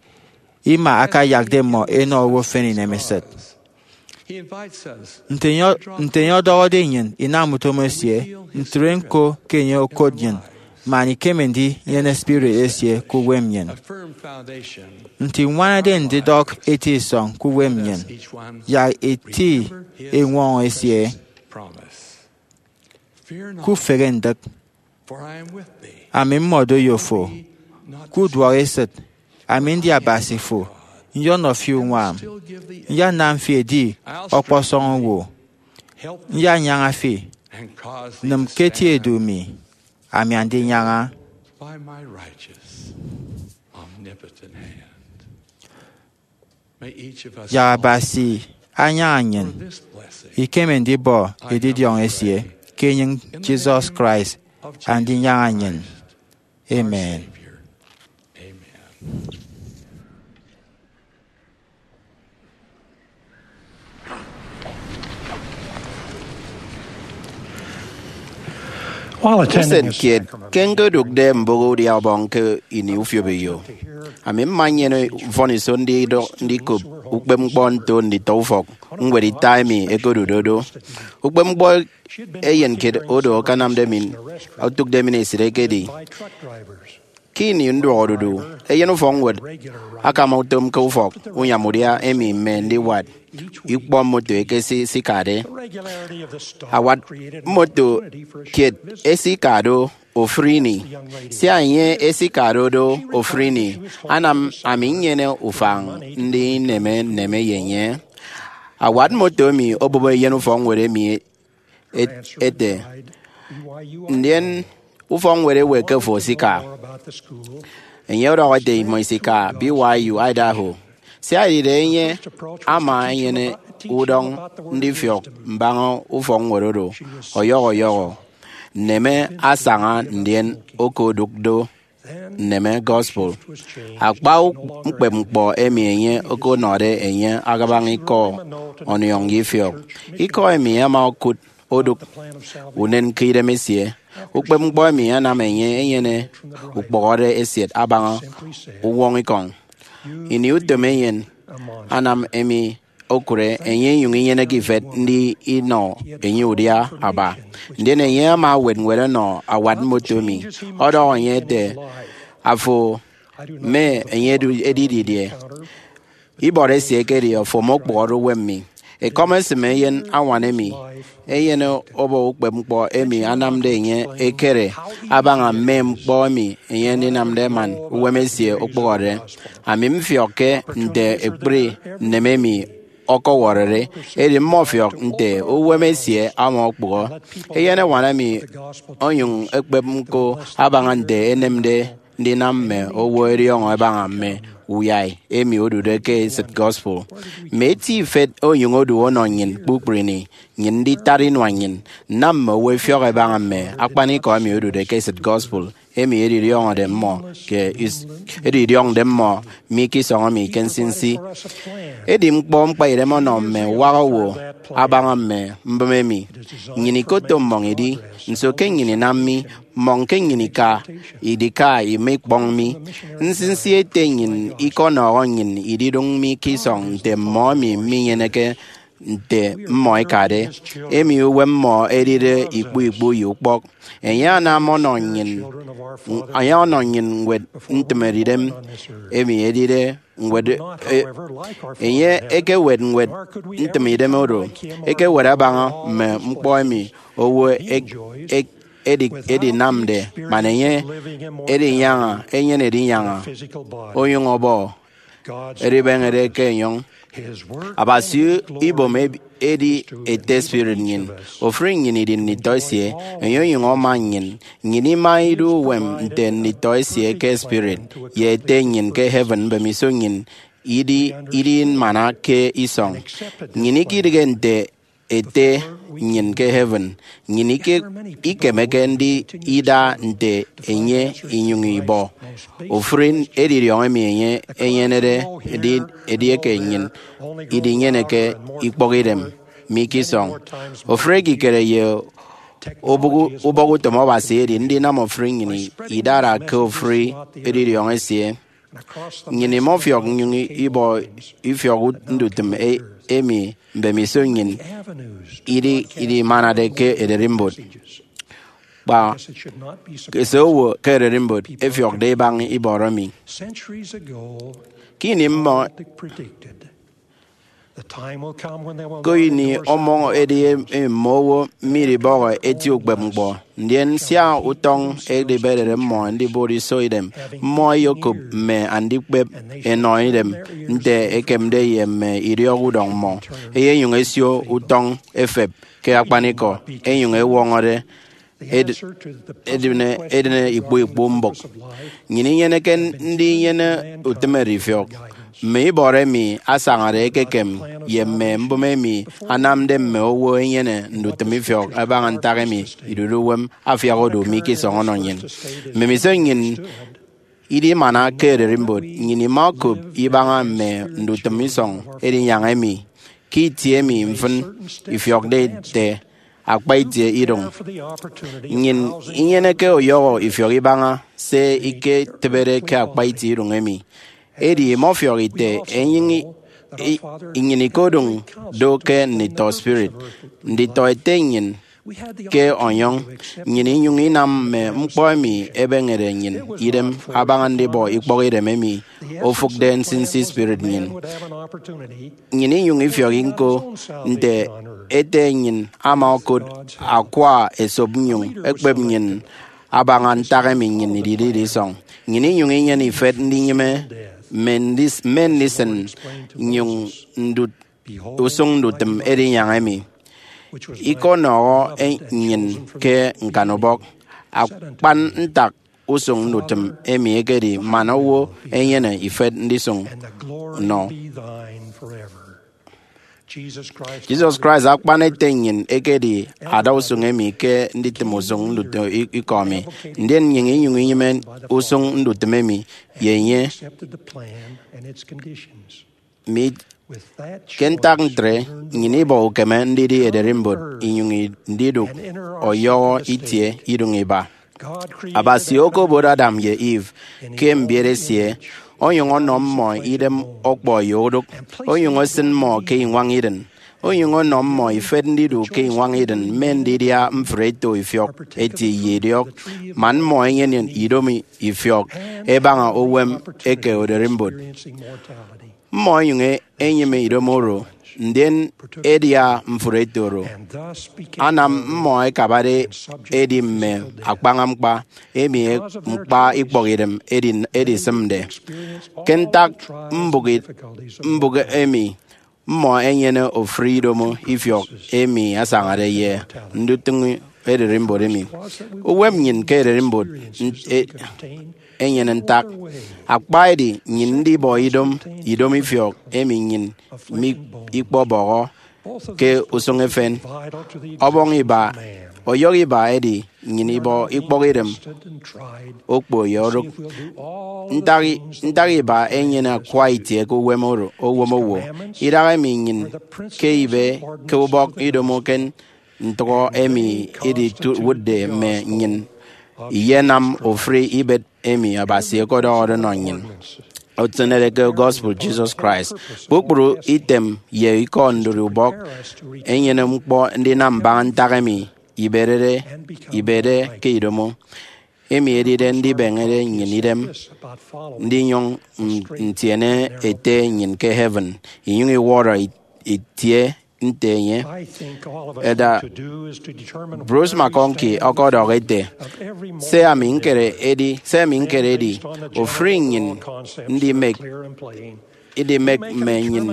ima akayakde mmọ enọ owo efen inemesịt. Nte enye ọdọhọde nnyịn inam utom esie, ntre ñko ke enye okot nnyịn man ikeme ndinyene spirit esie ke uwem nnyịn. Nte iñwanade ndidọk eti isọñ ke uwem nnyịn, yak eti eñwọñọ esie. Kufehe ndịk. Ami mmọdo ye fo. Kuduọk esịt. Ami ndi Abasi fo. Nyọnọ fi uñwam. Nyanam fi edi ọkpọsọñ owo. Nyanyaña fi. Nịm ke eti edu mi. Ami andinyaña. Yak Abasi anyaña nnyịn ikeme ndibọ edidiọñ esie ke enyịñ Jesus Christ andinyaña nnyịn. Amen. Usen kiet ke ñkodụkde mbụk udia ubọñ ke ini ufiop eyo, ami mma nnyene mfọniso ndidọk ndikop ukpepñkpọ nto nditọ ufọk ñwed ita emi ẹkodude do. Ukpepñkpọ eyen kiet odo akanamde mi otụkde mi esịt ekedi ke ini nduọkodudu, eyen ufọkñwed akama utom ke ufọk unyam udia emi mme ndiwat ikpọ moto ẹkesikade. Awat moto kiet esika do ofụri ini. Sia enye esika do do ofụri ini, anam ami nnyene ufañ ndineme nneme ye enye. Awat moto emi obụp eyen ufọkñwed emi ete, Ndien ufọkñwed ewe ke fo esika? Enye ọdọhọ ete imọ isika B Y U Idaho. Sia edide enye ama enyene udọñ ndifiọk mbaña ufọkñwed oro ọyọhọ ọyọhọ, nneme asaña ndien okodụk do nneme gospel. Akpa ukpepñkpọ emi enye okonọde enye akabaña ikọ ọniọñ ye ifiọk. Ikọ emi ama okụt odụk unen ke idem esie. Ukpepñkpọ emi anam enye enyene ukpọhọde eset abaña uwọñikọñ. Ini utom eyen anam emi okụre, enye inyụñ inyeneke ifet ndi inọ enye udia aba. Ndien enye ama ewet ñwed ọnọ awat moto emi, ọdọhọ enye ete, Afo mme enye edu- edi didie? Ibọrọ esie ekedi, Ofo omokpụhọre uwem mi. Ekọm esịm eyen añwan emi, eyen obo ukpepñkpọ emi anamde enye ekere abaña mme ñkpọ emi enye ndinamde man uwem esie okpụhọde. Ami mfiọkke nte ekpri nneme emi ọkọwọrọde, edi mmọfiọk nte uwem esie ama okpụhọ. Eyen añwan emi onyụñ ekpep ñko abaña nte enemde ndinam mme owo ẹdiọñọ ẹbaña mme uyai emi odude ke esịt gospel. Mme eti ifet onyụñ odu ọnọ nnyịn kpukpru ini, nnyịn nditat inua nnyịn nnam mme owo ẹfiọk ẹbaña mme akpanikọ emi odude ke esịt gospel emi edidiọñọde mmọ ke is-, edidiọñde mmọ mi ke isọñ emi ke nsinsi. Edi ñkpọ mkpaidem ọnọ mme uwak owo abaña mme mbịm emi. Nnyịn ikoto mmọñ idi, nso ke nnyịn inam mi, mmọñ ke nnyịn ika, idika, ima ikpọñ mi. Nsinsi ete nnyịn ikọnọhọ nnyịn ididụñ mi ke isọñ nte mmọ emi minyeneke nte mmọ ikade, emi uwem mmọ edide ikpu ikpu ye ukpọk. Enye anam ọnọ nnyịn, enye ọnọ nnyịn ñwed ntịm edidem, emi edide ñwed, e, enye ekewet ñwed ntịm idem oro, ekewet abaña mme ñkpọ emi owo ek-, ek-, edi-, edinamde, man enye edinyaña, enyene edinyaña, onyụñ ọbọ edibeñede ke enyọñ. Abasi ibom eb-, edi ete spirit nnyịn. Ofụri nnyịn idi nditọ esie, enye onyụñ ama nnyịn. Nnyịn ima idu uwem nte nditọ esie ke spirit ye ete nnyịn ke heaven mbemiso nnyịn idi, idi mana ke isọñ. Nnyịn ikidịghe nte ete nnyịn ke heaven. Nnyịn ike-, ikemeke ndida nte enye inyụñ ibọ ofụri edidiọñ emi enye enyenede, edi-, edieke nnyịn idinyeneke ikpọk idem mi ke isọñ. Ofụri ekikere ye ubọk-, ubọk utom Abasi edi ndinam ofụri nnyịn idara ke ofụri edidiọñ esie. Nnyịn imọfiọk nnyụñ ibọ ifiọk ndutịm e-, emi mbemiso nnyịn idi, idimanade ke ererimbot. Kpa eseowo ke ererimbot efiọkde ibaña ibọrọ mi. Ke ini mmọ Ke ini ọmọñ edi emi mme owo midibọhọ eti ukpepñkpọ, ndien sia utọñ edibedede mmọ ndibot iso idem, mmọ ẹyekop mme andikpep ẹnọ idem nte ekemde ye mme idiọk udọñ mmọ. Ẹyenyụñ ẹsio utọñ ẹfep ke akpanikọ, ẹnyụñ ẹwọñọde ed-, edịne, edịne ikpu ikpu mbụk. Nnyịn inyeneke ndinyene utịm edifiọk mme ibọrọ emi asañade ekekem ye mme mbụme emi anamde mme owo ẹnyene ndutịm ifiọk ẹbaña ntak emi idude uwem afiak odu mi ke isọñ ọnọ nnyịn. Mbemiso nnyịn idimana ke ererimbot, nnyịn ima okop ibaña mme ndutịm isọñ edinyaña emi. Ke itie emi mfịn ifiọkde ete akpa itie idụñ, nnyịn inyeneke ọyọhọ ifiọk ibaña se iketịbede ke akpa itie idụñ emi. Edi imọfiọk ite enyịñ i-, i-, nnyịn ikodụñ do ke nditọ spirit, nditọ ete nnyịn ke ọnyọñ, nnyịn inyụñ inam mme ñkpọ emi ebeñede nnyịn idem abaña ndibọ ikpọk idem emi ofụkde nsinsi spirit nnyịn. Nnyịn inyụñ ifiọk ñko nte ete nnyịn ama okụt akwa esop nnyụñ ekpep nnyịn abaña ntak emi nnyịn idide isọñ. Nnyịn inyụñ inyene ifet ndinyịme mme ndis-, mme ndisịn nnyụñ ndut usụñ ndutịm edinyaña emi. Ikọnọhọ e-, nnyịn ke ñkanubọk. Akpan ntak usụñ ndutịm emi ekedi man owo enyene ifet ndisụñ nọ. Jesus Christ akpan ete nnyịn ekedi adausụñ emi ke nditịm usụñ ndutịm i-, ikọ mi, ndien nnyịn inyụñ inyịme usụñ ndutịm emi ye enye. Mi, ke ntak ntre, nnyịn ibọ ukeme ndidi ererimbot inyụñ i-, ndidụk ọyọhọ itie idụñ iba. Abasi okobot Adam ye Eve ke mbiet esie, onyụñ ọnọ mmọ idem ọkpọ ye odụk, onyụñ esịn mmọ ke iñwañ Eden, onyụñ ọnọ mmọ ifet ndidu ke iñwañ Eden mme ndidia mfre eto ifiọk eti ye idiọk, man mmọ ẹnyene idomo ifiọk ẹbaña uwem eke ererimbot. Mmọ ẹnyụñ e-, ẹnyịme idomo oro ndien edia mfụre eto oro anam mmọ ẹkabade ẹdi mme akpaña ñkpa, emi ñkpa ikpọkidem edisịmde. Ke ntak mbụk emi, mmọ ẹnyene ofụri idomo ifiọk emi asañade ye ndutịñ ererimbot emi. Uwem nnyịn ke ererimbot enyene ntak. Akpa edi nnyịn ndibọ idomo ifiọk emi nnyịn mikpọbọhọ ke usụñ efen. Ọbọñ iba, ọyọhọ iba edi nnyịn ibọ ikpọkidem okpo ye orụk. Ntak iba enyene akwa itie ke uwem owo. Idahaemi nnyịn ke ibe ke ubọk idomo ke ntụhọ emi idiwụtde mme nnyịn iyenam ofụri ibet emi Abasi ọkọdọhọde ọnọ nnyịn. Otịñede ke gospel Jesus Christ, kpukpru item ye ikọ ndụri ubọk enyene ñkpọ ndinam mbaña ntak emi iberede ibede ke idomo, emi edide ndibeñede nnyịn idem ndinyụñ ntiene Ete nnyịn ke heaven, inyụñ iwọrọ itie nte enye. Elder Bruce McConkie ọkọdọhọ ete, se ami ñkere edi se ami ñkere edi ofụri nnyịn ndimek idimek mme nnyịn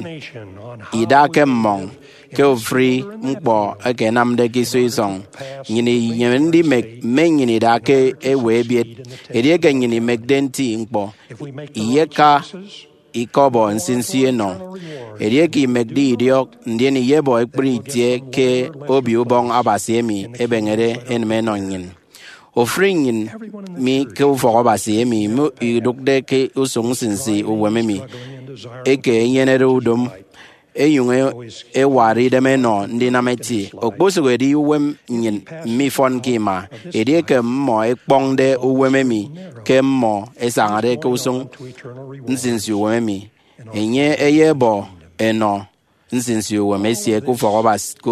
ida ke mmọñ ke ofụri ñkpọ eke ẹnamde ke iso isọñ. Nnyịn inyene ndimek mme nnyịn ida ke ewe ebiet. Edieke nnyịn imekde nti ñkpọ, iyeka ikọbọ nsinsi enọ. Edieke imekde idiọk, ndien iyebọ ekpri itie ke Obio Ubọñ Abasi emi ebeñede enịm enọ nnyịn. Ofụri nnyịn mi ke ufọk Abasi emi idụkde ke usụñ nsinsi uwem emi eke enyenede udọm, enyụñ ewat idem enọ ndinam eti. Okposụkedi uwem nnyịn mifọnke ima, edieke mmọ ẹkpọñde uwem emi ke mmọ ẹsañade ke usụñ nsinsi uwem emi, enye eyebọ enọ nsinsi uwem esie ke ufọk Abasi, ke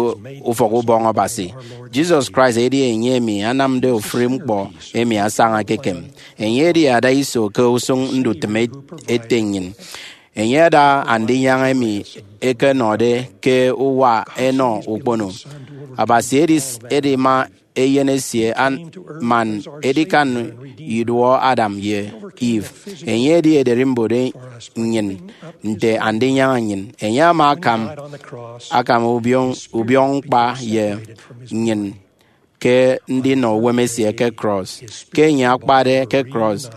ufọk ubọñ Abasi. Jesus Christ edi enye emi anamde ofụri ñkpọ emi asaña ekekem. Enye edi ada iso ke usụñ ndutịm Ete nnyịn. Enye ada Andinyaña emi ẹkenọde ke uwa ẹnọ ukpono. Abasi edi, edima Eyen esie, man edikan iduọ Adam ye Eve. Enye edi ederimbot nnyịn nte Andinyaña nnyịn. Enye ama akam akam ubiọñ ñkpa ye nnyịn ke ndinọ uwem esie ke cross. Ke enye akpade ke cross,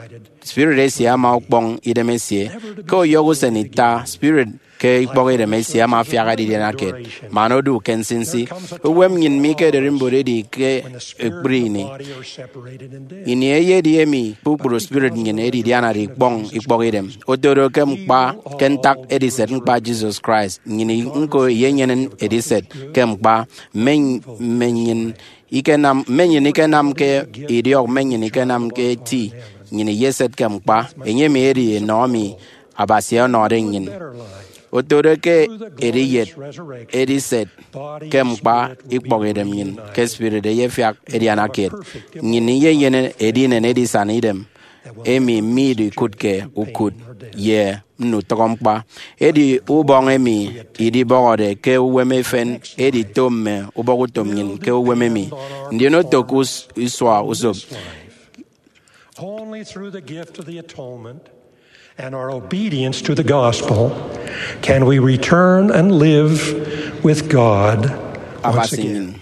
spirit esie ama ọkpọñ idem esie. Ke ọyọhọ usen ita, spirit ke ikpọkidem esie ama afiak adidianakiet man odu ke nsinsi. Uwem nnyịn mi ke ederimbot edi ke ekpri ini. Ini eyedi emi kpukpru spirit nnyịn edidianade ikpọñ ikpọkidem. Otodo ke ñkpa, ke ntak ediset ñkpa Jesus Christ, nnyịn nko iyenyene ediset ke ñkpa. Mme nnyịn ikenam mme nnyịn ikenamke idiọk, mme nnyịn ikenamke eti, nnyịn iyeset ke ñkpa. Enye emi edi enọ emi Abasi ọnọde nnyịn. Otodo ke ediyet ediset ke ñkpa ikpọkidem nnyịn ke spirit eyefiak edianakiet. Nnyịn iyenyene edinen edisana idem emi midikụtke ukụt ye mme utọñọ ñkpa. Edi ubọñ emi idibọhọde ke uwem efen edito mme ubọkutom nnyịn ke uwem emi, ndien oto ke isua usop. Only through the gift of the atonement and our obedience to the gospel can we return and live with God once Abasi again. Nnyịn.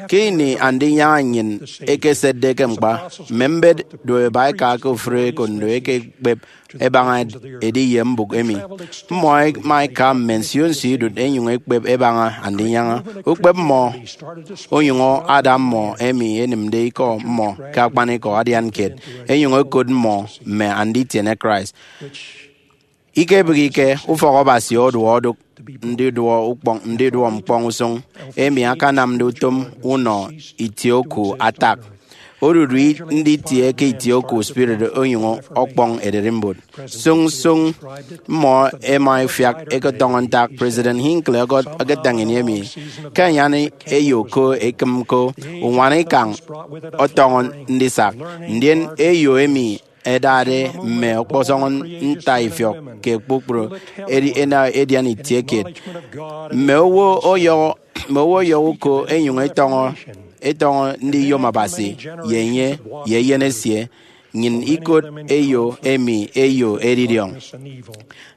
Ke ini Andinyaña nnyịn ekesetde ke ñkpa, mme mbet duop eba eka ke ofụri ekondo eke ekpep ẹbaña edi ye mbụk emi. Mmọ ẹma ẹka mme nsio nsio idụt ẹnyụñ ẹkpep ẹbaña Andinyaña. Ukpep mmọ onyụñ ada mmọ emi ẹnịmde ikọ mmọ ke akpanikọ adian kiet, ẹnyụñ ẹkot mmọ mme anditiene Christ. Ikebịghike, ufọk Abasi oduọ odụk ndiduọ ukpọñ, ndiduọ ñkpọñ usụñ emi akanamde utom unọ itie oku atak. Odudu nditie ke itie oku spirit onyụñ ọkpọñ ererimbot. Sụñ sụñ mmọ ẹma ẹfiak ẹketọñọ ntak President Hinckley ọkọt ẹketañ ini emi. Ke anyan eyo ko ekịm ko, uñwana ikañ ọtọñọ ndisak, ndien eyo emi ẹdade mme ọkpọsọñ ntaifiọk ke kpukpru edi-, ena edian itie kiet. Mme owo ọyọhọ, mme owo ọyọhọ uko ẹnyụñ ẹtọñọ, ẹtọñọ ndiyom Abasi ye enye, ye eyen esie. Nnyịn ikot eyo emi eyo edidiọñ.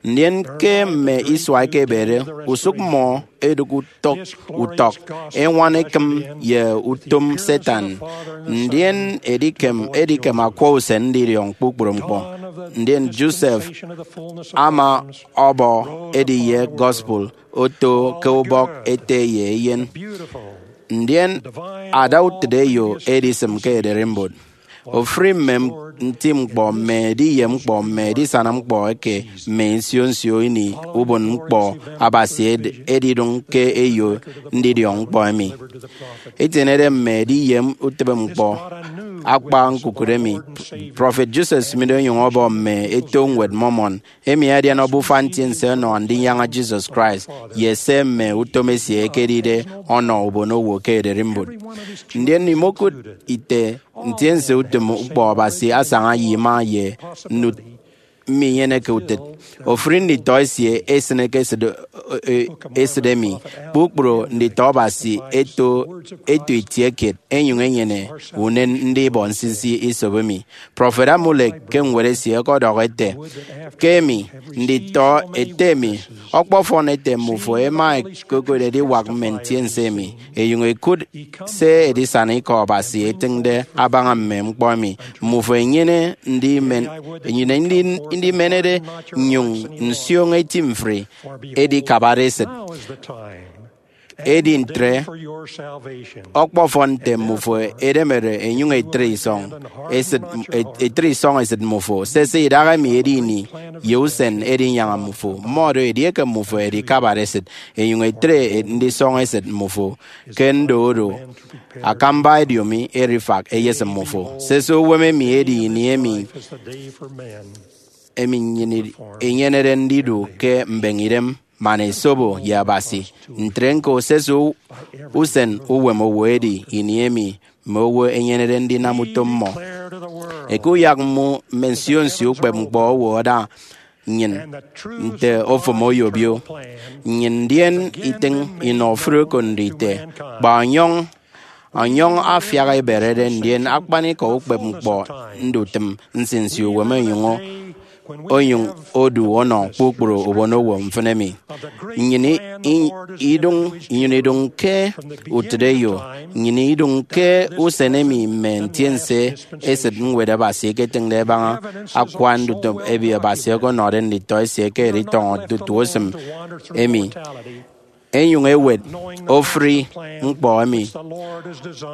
Ndien ke mme isua ẹkebede, usụk mmọ ẹdụk utọk, utọk eñwan ekịm ye utom Satan. Ndien edikem, edikem akwa usen ndidiọñ kpukpru ñkpọ. Ndien Joseph ama ọbọ ediye gospel oto ke ubọk ete ye eyen. Ndien ada utịt eyo edisịm ke ererimbot. Ofụri mme nti ñkpọ, mme ediye ñkpọ, mme edisana ñkpọ eke mme nsio nsio ini ubon ñkpọ Abasi ed-, edidụñ ke eyo ndidiọñ ñkpọ emi. Etienede mme ediye utịbe ñkpọ akpa ñkukụre mi, Prọfet Joseph Smith onyụñ ọbọ mme eto Ñwed Mormon, emi adian obufa ntiense ọnọ Andinyaña Jesus Christ, ye se mme utom esie ẹkedide ọnọ ubonowo ke ererimbot. Ndien imokụt ite ntiense utom ñkpọ Abasi asaña ye ima ye ndut minyeneke utịt. Ofụri nditọ esie esịneke esịt, e, esịt emi. Kpukpru nditọ Abasi eto, eto itie kiet, enyụñ enyene unen ndibọ nsinsi isop emi. Prọfet Amulek ke ñwed esie ọkọdọhọ ete, ke emi, nditọ ete emi, ọkpọfọn ete mmufo ẹma ẹkokot ediwak mme ntiense emi, ẹnyụñ ẹkụt se edisana ikọ Abasi etịñde abaña mme ñkpọ emi. Mmufo ẹnyene ndimen, ẹnyene ndi-, ndimenede nnyụñ nsioño eti mfri, edi kabade esịt. Edi ntre, ọkpọfọn nte mmufo ẹdemede ẹnyụñ ẹtre isọñ esịt, ẹtre isọñ esịt mmufo. Sese, idahaemi edi ini ye usen edinyaña mmufo. Mmọdo, edieke mmufo ẹdikabade esịt, ẹnyụñ ẹtre ndisọñ esịt mmufo ke ndodo akamba ediomi erifak eyesịm mmufo. Sese, uwem emi edi ini emi, emi nnyịn inyenede ndidu ke mbeñidem man esobo ye Abasi. Ntre ñko, sese, u-, usen uwem owo edi ini emi mme owo ẹnyenede ndinam utom mmọ. Eke uyak mmọ mme nsio nsio ukpep ñkpọ owo ada nnyịn nte ofụm oyobio nnyịn, ndien itịñ inọ ofụri oko ndite, kpa ọnyọñ, ọnyọñ afiak eberede, ndien akpanikọ ukpep ñkpọ ndutịm nsinsi uwem onyụñ, onyụñ odu ọnọ kpukpru ubonowo mfịn emi. Nnyịn i-, i-, idụñ, nnyịn idụñ ke utịt eyo, nnyịn idụñ ke usen emi mme ntiense esịt Ñwed Abasi ẹketịñde ẹbaña akwa ndutịm emi Abasi ọkọnọde nditọ esie ke editọñọ tutu usịm emi, ẹnyụñ ẹwet ofụri ñkpọ emi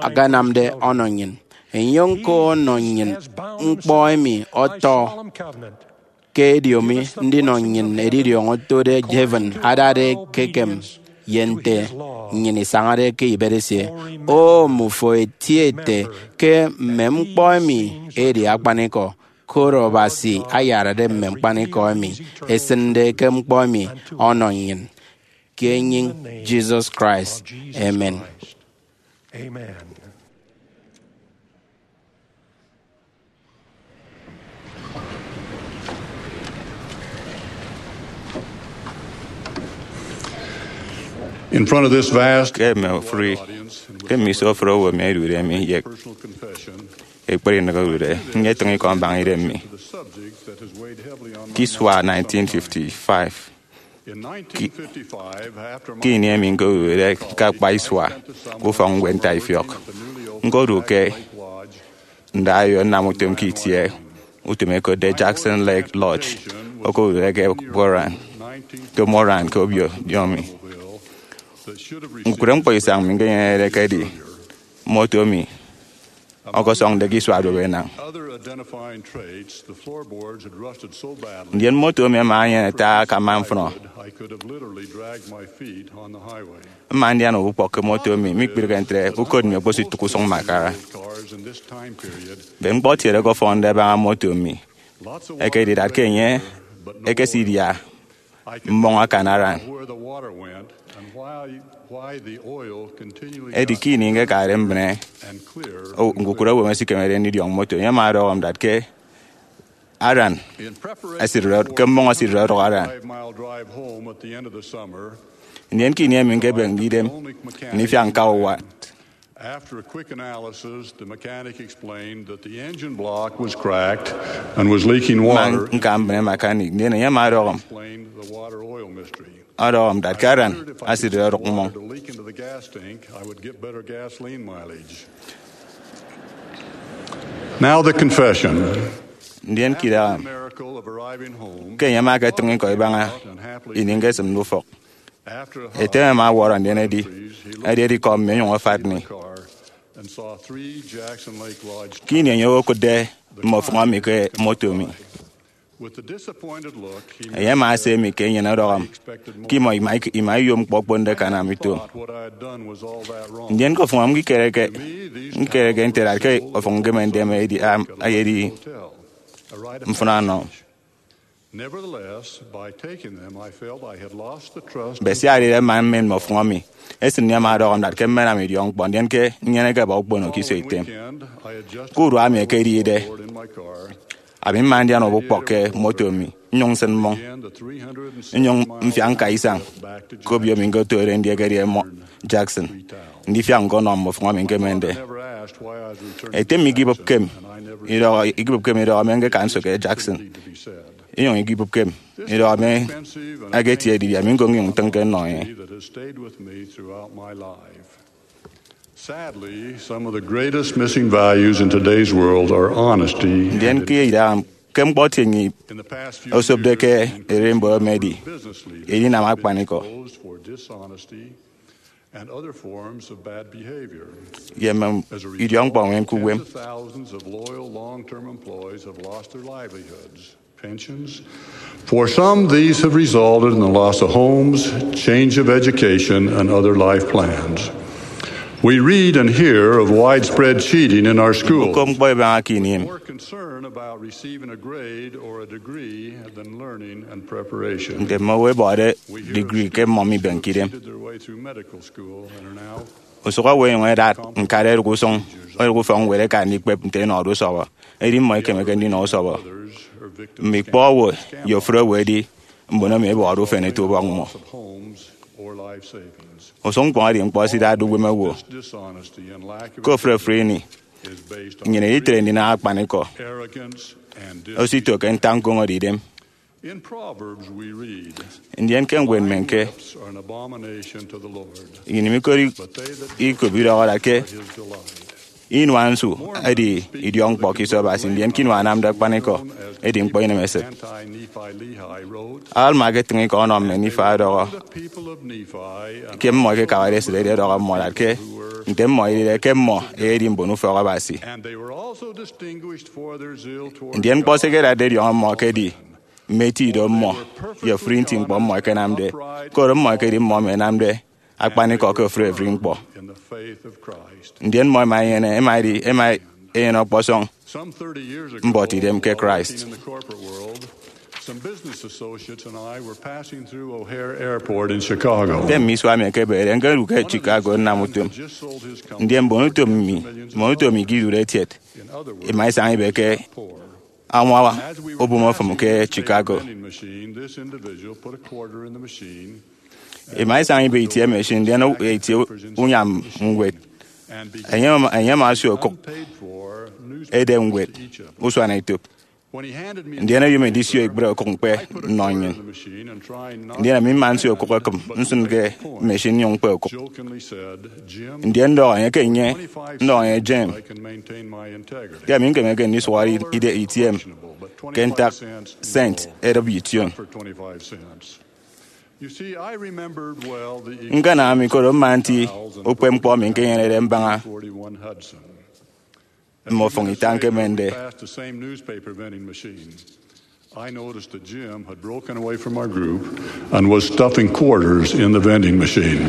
akanamde ọnọ nnyịn. Enye ñko ọnọ nnyịn ñkpọ emi ọtọ ke ediomi ndinọ nnyịn edidiọñ otode heaven adade ekekem ye nte nnyịn isañade ke ibet esie. O, mmufo eti ete ke mme ñkpọ emi edi akpanikọ, koro Abasi ayarade mme ñkpanikọ emi esịnde ke ñkpọ emi ọnọ nnyịn, ke enyịñ Jesus Christ. Amen. In front of this vast ke mme ofụri, ke mme iso ofụri owo emi ẹdude mi ye ekpere inịk odude, nyetịñ ikọ mbaña idem mi. Ke isua nineteen fifty-five, ke ini emi ñkodude ke akpa isua ke ufọkñwed ntaifiọk, ñkodu ke ndayo nnam utom ke itie utom ẹkotde Jackson Lake Lodge, okodude ke Moran, ke Moran, ke obio Wyoming. Ñkukụre ñkpọ isañ mi ñkenyenede ekedi moto mi ọkọsọñde ke isua duop enañ. Ndien moto mi ama enyene ata akama mfụnọ. Mma ndian ukpọk ke moto mi, mikpirike ntre, ukot mi okpositụk usụñ mbakara. Mbet ñkpọtiede ke ọfọnde ẹbaña moto mi ẹkedi idat ke enye ekesidia mmọñ akan aran. Edi ke ini ñkekade mbịne, o, ñkukụre owo emi esikemede ndidiọñ moto, enye ama ọdọhọ mi that ke aran, ke mmọñ esịt ọdọk aran. Ndien ke ini emi ñkebemde idem ndifiak ñka uwat, After a quick analysis, the mechanic explained that the engine block was cracked and was leaking water. Ñka mbịne mechanic, ndien enye ama ọdọhọ m, ọdọhọ m that ke aran esịt ọdọk mmọñ. Now the confession. Ndien ke idaha ke enye ama eketịñ ikọ ibaña ini ñkesịmde ufọk, ete mi ama ọwọrọ ndien edi, edi edikọm mi onyụñ afat mi. Ke ini enye okụtde mmọfụñọ mi ke moto mi, enye ama ese mi ke enyịn ọdọhọ m ke imọ ima iyom ñkpọ okponde ke anam ito. Ndien ke ofụñọ m ñkereke, ñkereke nte that ke ofụk ñkemende emi edi, am, ayedi mfịn ọnọ. But sia edide man mmen mmọfụñọ mi, esịn mi ama ọdọhọ m that ke mmenam idiọkñkpọ, ndien ke nnyeneke aba ukpono ke iso item. Ke urua emi ekedide, ami mma ndian ubụkpọk ke moto mi, nnyụñ nsịn mmọñ, nnyụñ mfiak ñka isañ ke obio mi ñkotode ndiekedi ẹmọ Jackson, ndifiak ñkọnọ mmọfụñọ mi ñkemende. Ete mi ikibụpke mi idọhọ, ikibụpke mi idọhọ mi ñkeka nso ke Jackson, inyụñ ikibụpke mi idọhọ mi ẹketie didie, ami ñko nnyụñ ntịñke nnọ enye. Sadly, some of the greatest missing values in today's world are honesty. Ndien ke idaha ke ñkpọtiene osopde ke ererimbot emi edi edinam akpanikọ And other forms of bad behavior. Ye mme idiọkñkpọ ñwed ke uwem. Thousands of loyal long-term employees have lost their livelihoods, pensions. For some, these have resulted in the loss of homes, change of education, and other life plans. We read and hear of widespread cheating in our schools. Ñkukop ñkpọ ibaña ke ini emi. More concern about receiving a grade or a degree than learning and preparation. Nte mme owo ẹbọde degree ke mmọ mibenke idem. Usụk owo ẹnyụñ ẹdat ñkade ẹdụk usụñ, ẹdụk ufọkñwed ẹka ndikpep nte ẹnọde usọbọ, edi mmọ ikemeke ndinọ usọbọ. Mme ikpọ owo ye ofụri owo ẹdi mbon emi ẹbọde ufen ẹto ubọk mmọ. Usụñ ñkpọñ edi ñkpọ ẹsidatde uwem owo. Ke ofụri ofụri ini, nnyịn itre ndinam akpanikọ osito ke ntak ñkoñode idem. Ndien ke ñwed mme ñke ini mi koro ikop idọhọ that ke inua nsu edi idiọkñkpọ ke iso Abasi, ndien ke inua anamde akpanikọ edi ñkpọ inemesịt. Alma eketịñ ikọ ọnọ mme Nifai ọdọhọ ke mmọ ẹkekabade esịt edi ọdọhọ mmọ that ke nte mmọ edide ke mmọ ẹyedi mbon ufọk Abasi. Ndien ñkpọ se ẹkedatde ẹdiọñọ mmọ ekedi mme eti ido mmọ ye ofụri nti ñkpọ mmọ ẹkenamde, koro mmọ ẹkedi mmọ emi ẹnamde akpanikọ ke ofụri ofụri ñkpọ. Ndien mmọ ẹma ẹnyene, ẹma ẹdi, ẹma ẹnyene ọkpọsọñ mbuọtidem ke Christ. Some business associates and I were passing through O'Hare Airport in Chicago. Nte mme isua mi ẹkebede, ñkedu ke Chicago nnam utom. Ndien mbon utom mi, mbon utom mi ke idude etiet, ima isañ ibe ke añwa ubom ofụm ke Chicago. Ima isañ ibe itie machine, ndien itie unyam ñwed. Enye ama, enye ama asio okụk edem ñwed usuanetop. Ndien oyom ndisio ikpere okụk ñkpe nnọ nnyịn. Ndien ami mma nsio okụk ekịm, nsịn ke machine nnyụñ ñkpe okụk. Ndien ndọhọ enye ke enye, ndọhọ enye, Jim, ke ami ñkemeke ndisuhọre ide itie mi ke ntak cent edịp ition. Ñkanam mi koro mma nti ukpepñkpọ mi ñkenyenede mbaña mme ofụñ ita ñkemende. I noticed that Jim had broken away from our group and was stuffing quarters in the vending machine.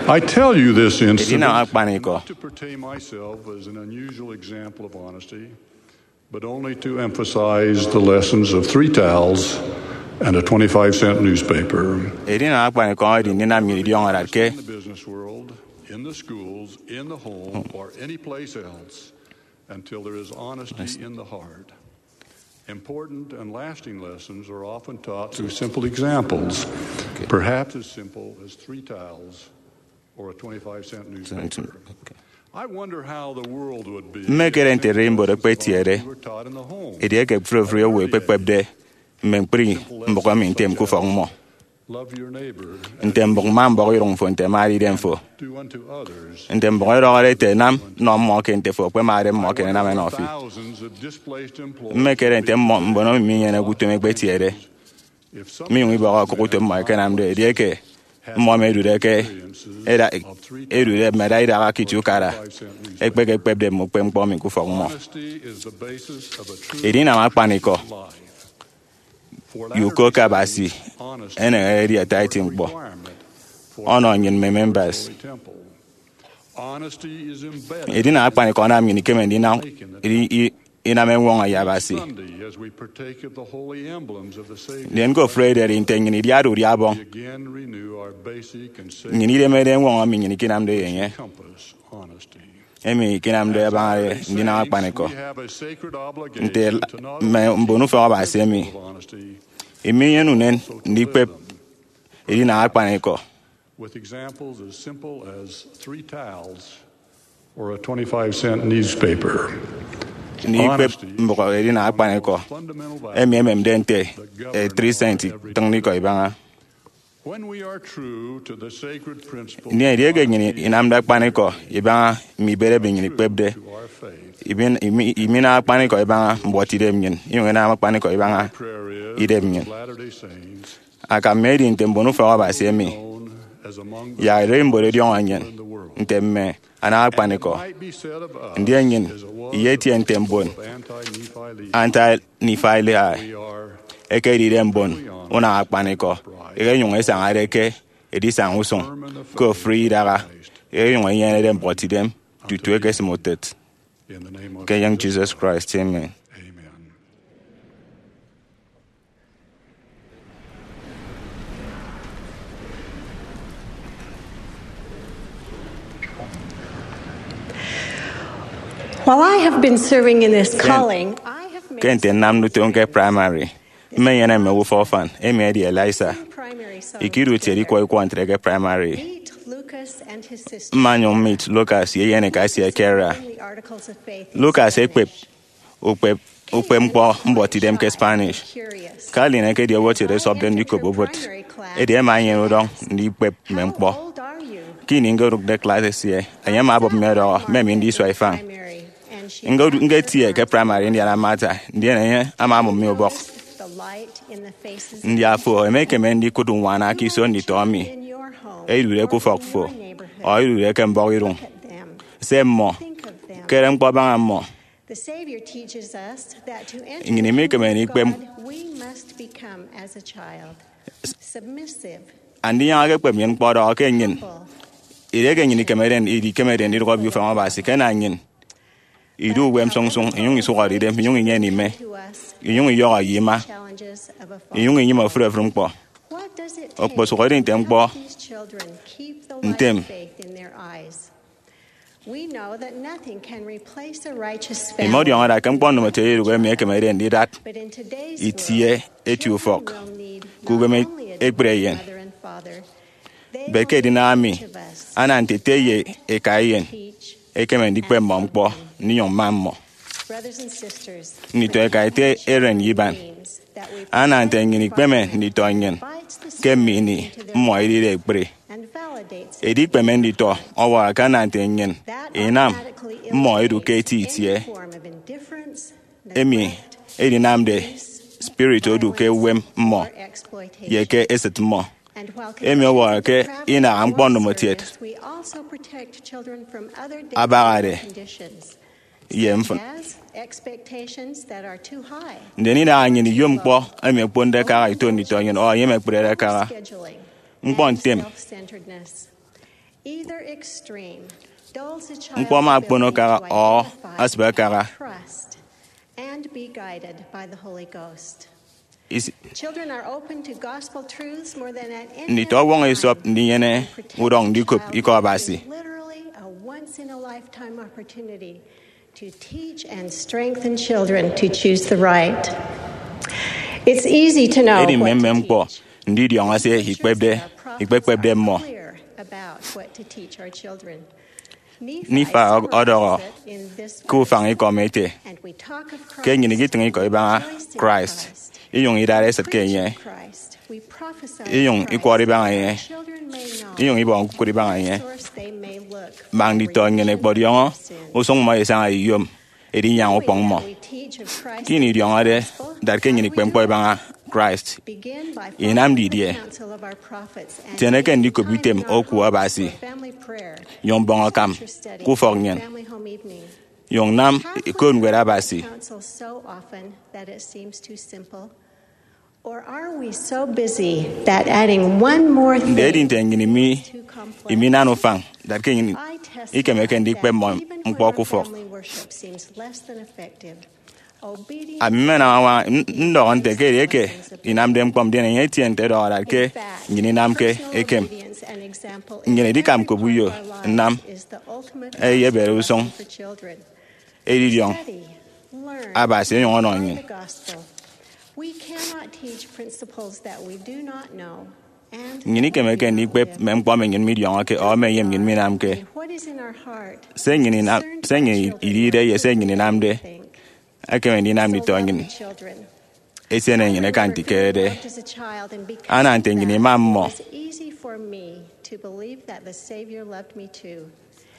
I tell you this incident Edinam akpanikọ. Not to portray myself as an unusual example of honesty, but only to emphasize the lessons of three towels and a twenty-five cent newspaper. Edinam akpanikọ edi ndinam nnyịn idiọñọ that ke In the business world, in the schools, in the home, or any place else, until there is honesty in the heart. Important and lasting lessons are often taught through simple examples, perhaps as simple as three tiles or a twenty-five cent newspaper. I wonder how the world would be Mmekere nte Rainbow ekpetiede, edieke ofụri ofụri owo ekpekpepde mme ñkpri mbụk emi ntem ke ufọk mmọ. Love your neighbor. Nte mbụk ma mbọk irụñ fo nte emade idem fo. Do unto others. Nte mbụk edọhọde ete nam nọ mmọ ke nte fo ekpemade mmọ ke enam enọ fi. Thousands of displaced employees. Mmekere nte mmọ mbon emi minyeneke utom ekpetiede, minyụñ ibọhọ okụk utom mmọ ẹkenamde edieke mmọ emi edude ke eda edude mme eda idaha ke itie ukara, ekpekekpepde mme ukpepñkpọ emi ke ufọk mmọ. Honesty is the basis of a true Edinam akpanikọ ye uko ke Abasi eneñerede edi ata eti ñkpọ ọnọ nnyịn mme members. Honesty is embedded. Edinam akpanikọ anam nnyịn ikeme ndinam i- i- inam eñwọñọ ye Abasi. Sunday, as we partake of the holy emblems of the Savior, Ndien ke ofụri ederi nte nnyịn idiade udia ọbọñ, we again renew our basic and sacred nnyịn idemede eñwọñọ emi nnyịn ikinamde ye enye. Compass honesty. Emi ikinamde abañade ndinam akpanikọ. Nte mme mbon ufọk Abasi emi, iminyene unen ndikpep edinam akpanikọ. With examples as simple as three tiles or a twenty-five cent newspaper. Ndikpep mbụk edinam akpanikọ emi ememde nte e three cent itịñde ikọ ibaña. When we are true to the sacred principle, Ndien edieke nnyịn inamde akpanikọ ibaña mme ibet emi nnyịn ikpepde, imin- imi- iminam akpanikọ ibaña mbuọtidem nnyịn, inyụñ inam akpanikọ ibaña idem nnyịn. Latter-day Saints, Akam mi edi nte mbon ufọk Abasi emi, yak ererimbot ẹdiọñọ nnyịn nte mme anam akpanikọ. Ndien nnyịn iyetie nte mbon Anti-Nephi-Lehi ẹkedide mbon unam akpanikọ, ẹkenyụñ ẹsañade ke edisaña usụñ ke ofụri idaha, ẹkenyụñ ẹnyenede mbuọtidem tutu ẹkesịm utịt. Ke enyịñ Jesus Christ, amen. While I have been serving in this calling, I have made Ke nte nnamde utom ke praịmarị, mmenyene mme owo ufọkfan, emi edi Eliza. Primary Ikere utiet ikwọ ikwọ ntre ke praịmarị. Meet Lucas and his sister. Mmanyụñ mmit Lucas ye eyeneka esie Kara. Lucas ekpep ukpep ukpepñkpọ mbuọtidem ke Spanish. Carolyn ekedi owo etiede esopde ndikop obot, edi ẹma ẹnyene udọñ ndikpep mme ñkpọ. Ke ini ñkodụkde klas esie, enye ama obụp mi ọdọhọ mme mi ndi isua ifañ. Ñketie ke praịmarị ndiana Martha, ndien enye ama amụm mi ubọk. Ndi afo emekeme ndikụt uñwana ke iso nditọ emi edude ke ufọk fo, ọ edude ke mbọhọ iduñ? Se mmọ, kere ñkpọ baña mmọ. Nnyịn imikeme ndikpep Andinyaña ke ekpep nnyịn ñkpọ ọdọhọ ke nnyịn, edieke nnyịn ikemede, idikemede ndidụk obio ufan Abasi, ke ana nnyịn idu uwem sụñsụñ, inyụñ isụhọde idem, inyụñ inyene ime, inyụñ iyọhọ ye ima, inyụñ inyịme ofụri ofụri ñkpọ. Okposụkedi nte ñkpọ ntem, imọdiọñọ da ke ñkpọ ndomotiet idụhe emi ekemede ndidat itie eti ufọk ke uwem ekpri eyen. Bed ke edinam emi, ana nte ete ye eka eyen ekeme ndikpep mmọ ñkpọ, ndinyụñ mma mmọ. Nditọ eka ete Eren ye Iban, ana nte nnyịn ikpeme nditọ nnyịn ke mme ini mmọ idide ekpri. Edikpeme nditọ ọwọrọ ke ana nte nnyịn inam mmọ idu ke eti itie emi edinamde spirit odu ke uwem mmọ ye ke esịt mmọ. Emi ọwọrọ ke inaha ñkpọ ndomotiet abahade ye mfịn. Ndien inaha nnyịn iyom ñkpọ emi okponde kaha ito nditọ nnyịn ọ ẹnyịme ekprede kaha. Ñkpọ ntem, ñkpọ ama okpono kaha ọ asịbe kaha. Isi- Nditọ ọwọñọ esop ndinyene udọñ ndikop Ikọ Abasi. To teach and strengthen children to choose the right. It's easy to know edi mme what mme to ñkpọ teach. Ndidiọñọ se ikpepde, ikpekpepde mmọ. Clear about what to teach our children. Nifa ọdọhọ ke ufañ ikọm ete, ke nnyịn ikitịñ ikọ ibaña Christ, inyụñ idara esịt ke enye, inyụñ ikwọrọ ibaña enye, inyụñ ibọhọ ñkukụre ibaña enye. Mak nditọ nnyịn ẹkpọdiọñọ usụñ mmọ ẹsaña eyom edinyaña ukpọñ mmọ. Ke ini idiọñọde dat ke nnyịn ikpe ñkpọ ibaña Christ, inam didie? Tieneke ndikop item oku Abasi, nyụñ bọñ akam ke ufọk nnyịn, nyụñ nam ikot ñwed Abasi. Or are we so busy that adding one more thing Nde edi nte nnyịn imi, iminana ufañ dat ke nnyịn ikemeke ndikpe mmọ ñkpọ ke ufọk? Ami mmenam añwaña n- ndọhọ nte ke edieke inamde ñkpọ ndien enye etie nte edọhọ dat ke nnyịn inamke ekem, nnyịn idikam kop uyo nnam eyebere usụñ edidiọñ Abasi onyụñ ọnọ nnyịn. Nnyịn ikemeke ndikpep mme ñkpọ emi nnyịn midiọñọke ọ mme eyem nnyịn minamke. Se nnyịn inam, se nnyịn idide ye se nnyịn inamde ekeme ndinam nditọ nnyịn esiene nnyịn eka nte ikerede. Ana nte nnyịn ima mmọ.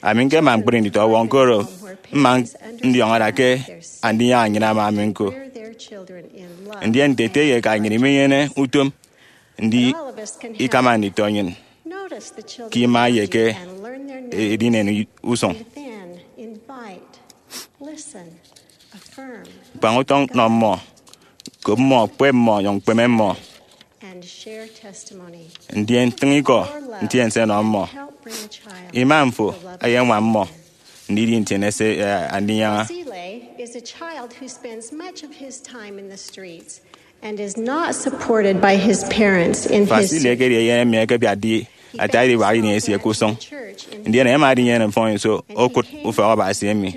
Ami ñkema ñkpri nditọ ọwọñ, koro mma ndiọñọ da ke Andinyaña nnyịn ama mi ñko. Ndien nte ete ye eka nnyịn imenyene utom ndi ikama nditọ nnyịn ke ima ye ke edinen usụñ. Kpañ utọñ nọ mmọ, kop mmọ, kpep mmọ, nyụñ kpeme mmọ. Ndien tịñ ikọ, ntiense nọ mmọ. Ima mfo eyeñwam mmọ ndidi ntiense, eh, Andinyaña. Basile is a child who spends much of his time in the streets and is not supported by his parents in his Basile ekedi eyen emi ẹkebiatde ata ediwak ini esie ke usụñ. Ndien ẹma ẹdinyene mfọnñiso okụt ufọk Abasi emi.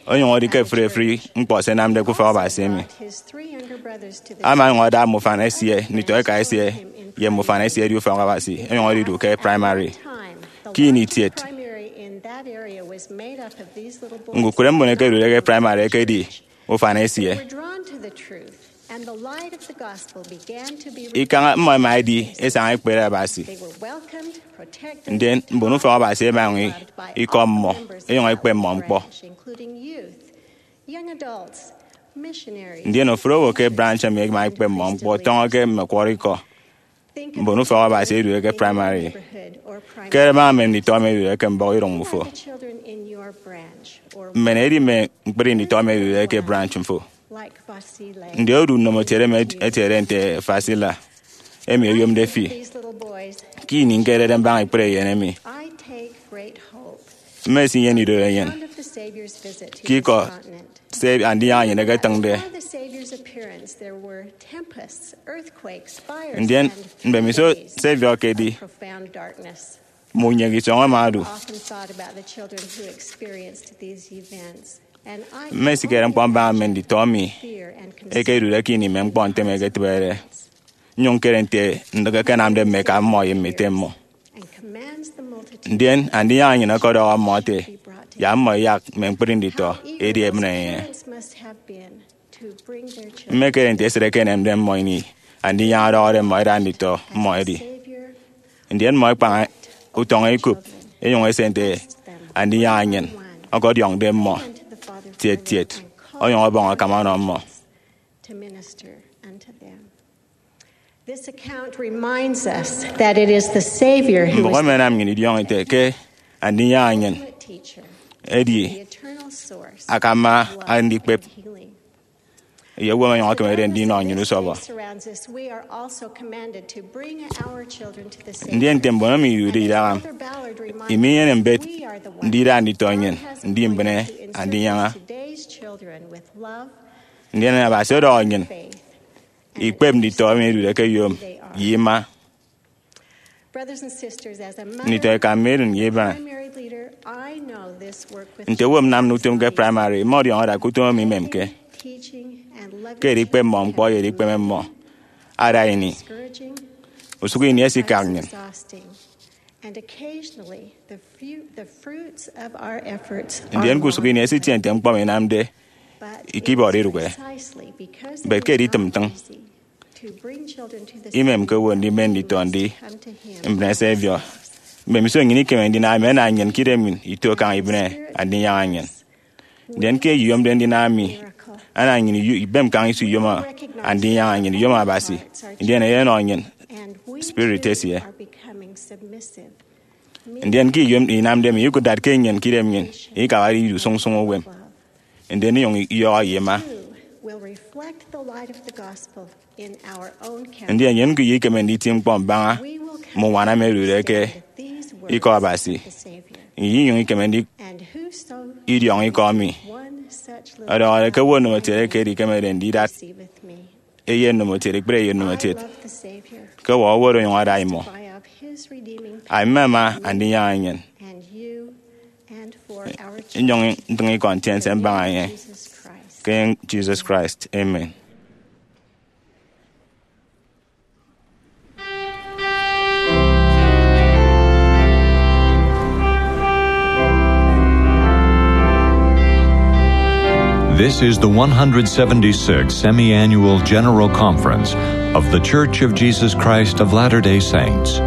Onyụñ edi ke ẹfri ẹfri ñkpọ se ẹnamde ke ufọk Abasi emi. Ama onyụñ ada mme ufan esie, nditọ eka esie, ye mme ufan esie ẹdi ufọk Abasi, onyụñ edidu ke praịmarị. Ke ini itiet, ñkukụre mbon ẹkedude ke praịmarị ẹkedi ufan esie. Ikañ mmọ ẹma ẹdi esaña ekpere Abasi. Ndien mbon ufọk Abasi ẹma ẹnyụñ ikọm mmọ, ẹnyụñ ẹkpep mmọ ñkpọ. Ndien ofụri owo ke branch emi ẹma ẹkpep mmọ ñkpọ tọñọ ke mme ẹkwọrọ ikọ. Mbon ufọk Abasi ẹdude ke praịmarị. Kere baña mme nditọ emi ẹdude ke mbọhọidụñ mmufo. Mmen edi mme ñkpri nditọ emi ẹdude ke branch mfo. Ndi odu nnomotiede emi etiede nte Fasila, emi oyomde fi? Ke ini ñkerede mbaña ikpere eyen emi, mmesinyene idorenyin ke ikọ se Andinyaña nnyịn eketịñde. Ndien mbemiso Savior ekedi, mme unyek isọñ ẹma ẹdu. Mmesikere ñkpọ mbaña mme nditọ emi ẹkedude ke ini mme ñkpọ ntem ẹketịbede, nnyụñ ñkere nte ndịk ẹkenamde mme eka mmọ ye mme ete mmọ. Ndien Andinyaña nnyịn ọkọdọhọ mmọ ete, yak mmọ iyak mme ñkpri nditọ edi ẹbịne enye. Mmekere nte esịt ekenemde mmọ ini Andinyaña ọdọhọde mmọ ẹda nditọ mmọ ẹdi. Ndien mmọ ẹkpañ utọñ ẹkop, ẹnyụñ ẹse nte Andinyaña nnyịn ọkọdiọñde mmọ tiet tiet, onyụñ ọbọñ akam ọnọ mmọ. Mbụk emi ẹnam nnyịn idiọñọ ete ke Andinyaña nnyịn edi akama andikpep ye owo emi ọnyọñ ekemede ndinọ nnyịn usọbọ. Ndien nte mbon emi idude idaha, imenyene mbet ndida nditọ nnyịn ndi mbịne Andinyaña. Ndien Abasi ọdọhọ nnyịn ikpep nditọ emi ẹdude ke eyom ye ima. Nditọ eka mme erịn ye ibaña. Nte owo nnamnọ utom ke praịmarị, mmọdiọñọ ada ke utom emi imemke. Ke edikpep mmọ ñkpọ ye edikpeme mmọ ada ini, usụk ini ẹsikak nnyịn. Ndien ke usụk ini ẹsitie nte ñkpọ emi inamde ikibọde idụhe. Mbet ke editịm ntịñ, imemke owo ndimen nditọ ndi mbịne se ẹbiọ. Mbemiso nnyịn ikeme ndinam emi, ana nnyịn ke idem nnyịn ito kaña ibịne Andinyaña nnyịn. Ndien ke eyomde ndinam mi, ana nnyịn iyu- ibem kaña iso iyom Andinyaña nnyịn, iyom Abasi, ndien eyenọ nnyịn spirit esie. Ndien ke iyom inamde mi, ikụt dat ke nnyịn ke idem nnyịn ikabade idu sụñsụñ uwem, ndien inyụñ iyọhọ ye ima. Ndien nnyịn ñko ikeme nditi ñkpọ mbaña mme uñwana emi odude ke Ikọ Abasi. Inyụñ ikeme ndidiọñọ ikọ emi ọdọhọde ke owo ndomokiet eke edikemede ndidat eyen ndomokiet, ikpere eyen ndomokiet, ke ewọrọ owo oro onyụñ ada imọ. Ami mmema Andinyaña nnyịn. Nnyụñ ntịñ ikọ ntiense mbaña enye. Ke Jesus Christ, amen. This is the one hundred seventy-sixth Semi-Annual General Conference of The Church of Jesus Christ of Latter-day Saints.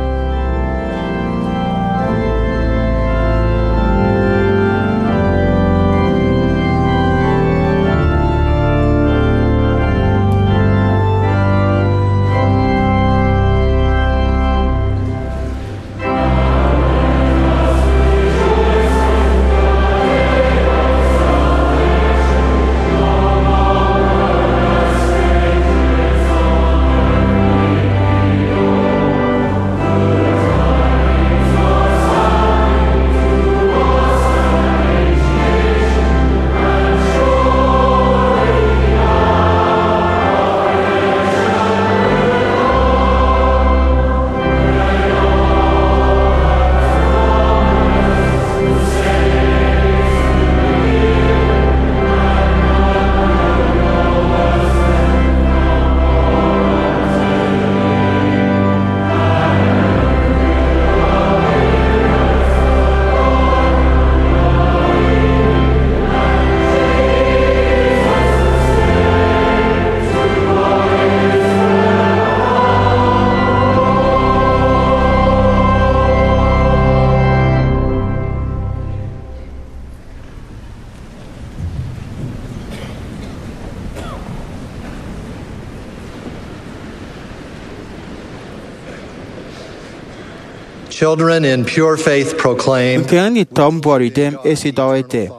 Children in pure faith proclaim, Ñkeñi nditọ mbuọtidem esidọhọ ete,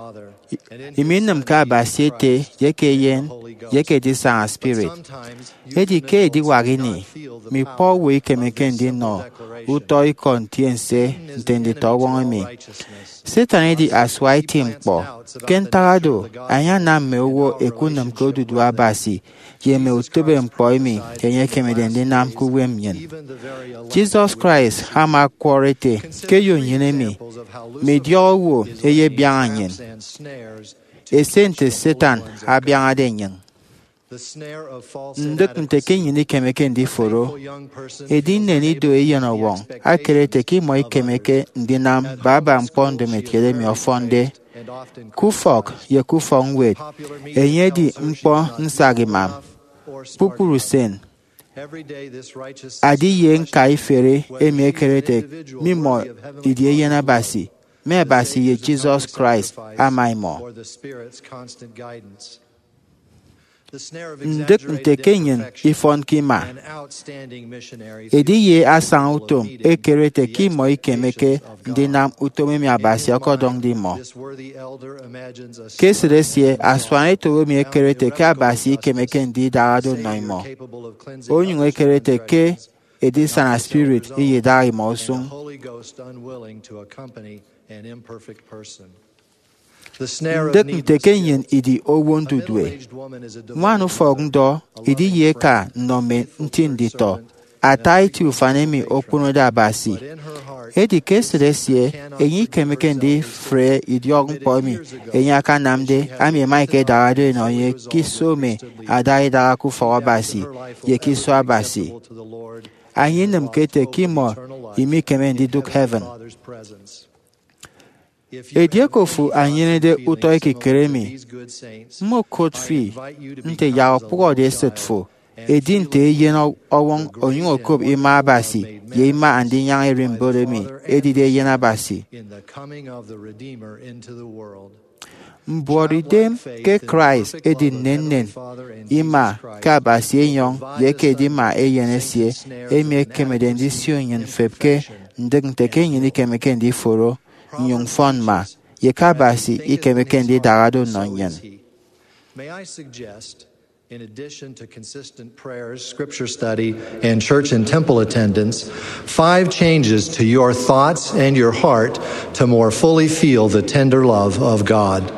"Imi inịmke Abasi Ete, ye eke Eyen, ye eke Edisana Spirit." Edi ke ediwak ini, mme ikpọ owo ikemeke ndinọ utọ ikọ ntiense nte nditọwọñ emi. Satan edi asua eti ñkpọ. Ke ntak oro, ayanam mme owo ẹkunịm ke odudu Abasi ye mme utịbeñkpọ emi enye ekemede ndinam ke uwem nnyịn. Jesus Christ ama ọkwọrọ ete ke eyo nnyịn emi, mme idiọk owo ẹyebiaña nnyịn, ese nte Satan abiañade nnyịn. Ndịk nte ke nnyịn ikemeke ndiforo, edi nnyịn ido eyenọwọñ akere ete ke imọ ikemeke ndinam baba ñkpọ ndomokiet emi ọfọnde. Ke ufọk ye ke ufọkñwed, enye edi ñkpọ nsak imam. Kpukpru usen, adi ye ñka iferi emi ekere ete mmimọ idi eyen Abasi, mme Abasi ye Jesus Christ ama imọ. Ndịk nte ke nnyịn ifọnke ima, edi ye asañautom ekere ete ke imọ ikemeke ndinam utom emi Abasi ọkọdọñde imọ. Ke esịt esie, asuanete owo emi ekere ete ke Abasi ikemeke ndidahade ọnọ imọ, onyụñ ekere ete ke Edisana Spirit iyedaha imọ usụñ. Ndịk nte ke nnyịn idi owo ndudue. Ñwan ufọk ndọ idi ye eka nnọ mme nti nditọ. ata eti ufan emi okponode Abasi. Edi ke esịt esie, enye ikemeke ndifre idiọkñkpọ emi enye akanamde, ami ema ika idaha-do enọ enye ke iso mme ada idaha ke ufọk Abasi ye ke iso Abasi. Enye inịmke ete ke imọ imikeme ndidụk heaven. Edieke ofo anyenede utọ ekikere emi, mmokot fi nte yak okpụhọde esịt fo, edi nte eyen ọwọñ, onyụñ okop ima Abasi ye ima Andinyaña Ererimbot emi edide Eyen Abasi. Mbuọtidem ke Christ edi nnennen ima ke Abasi Enyọñ ye ke edima Eyen esie, emi ekemede ndisio nnyịn mfep ke ndịk nte ke nnyịn ikemeke ndiforo nnyụñ mfọn mma, ye ke Abasi ikemeke ndidahado nnọ nnyịn. May I suggest, in addition to consistent prayers, scripture study, and church and temple attendance, five changes to your thoughts and your heart to more fully feel the tender love of God.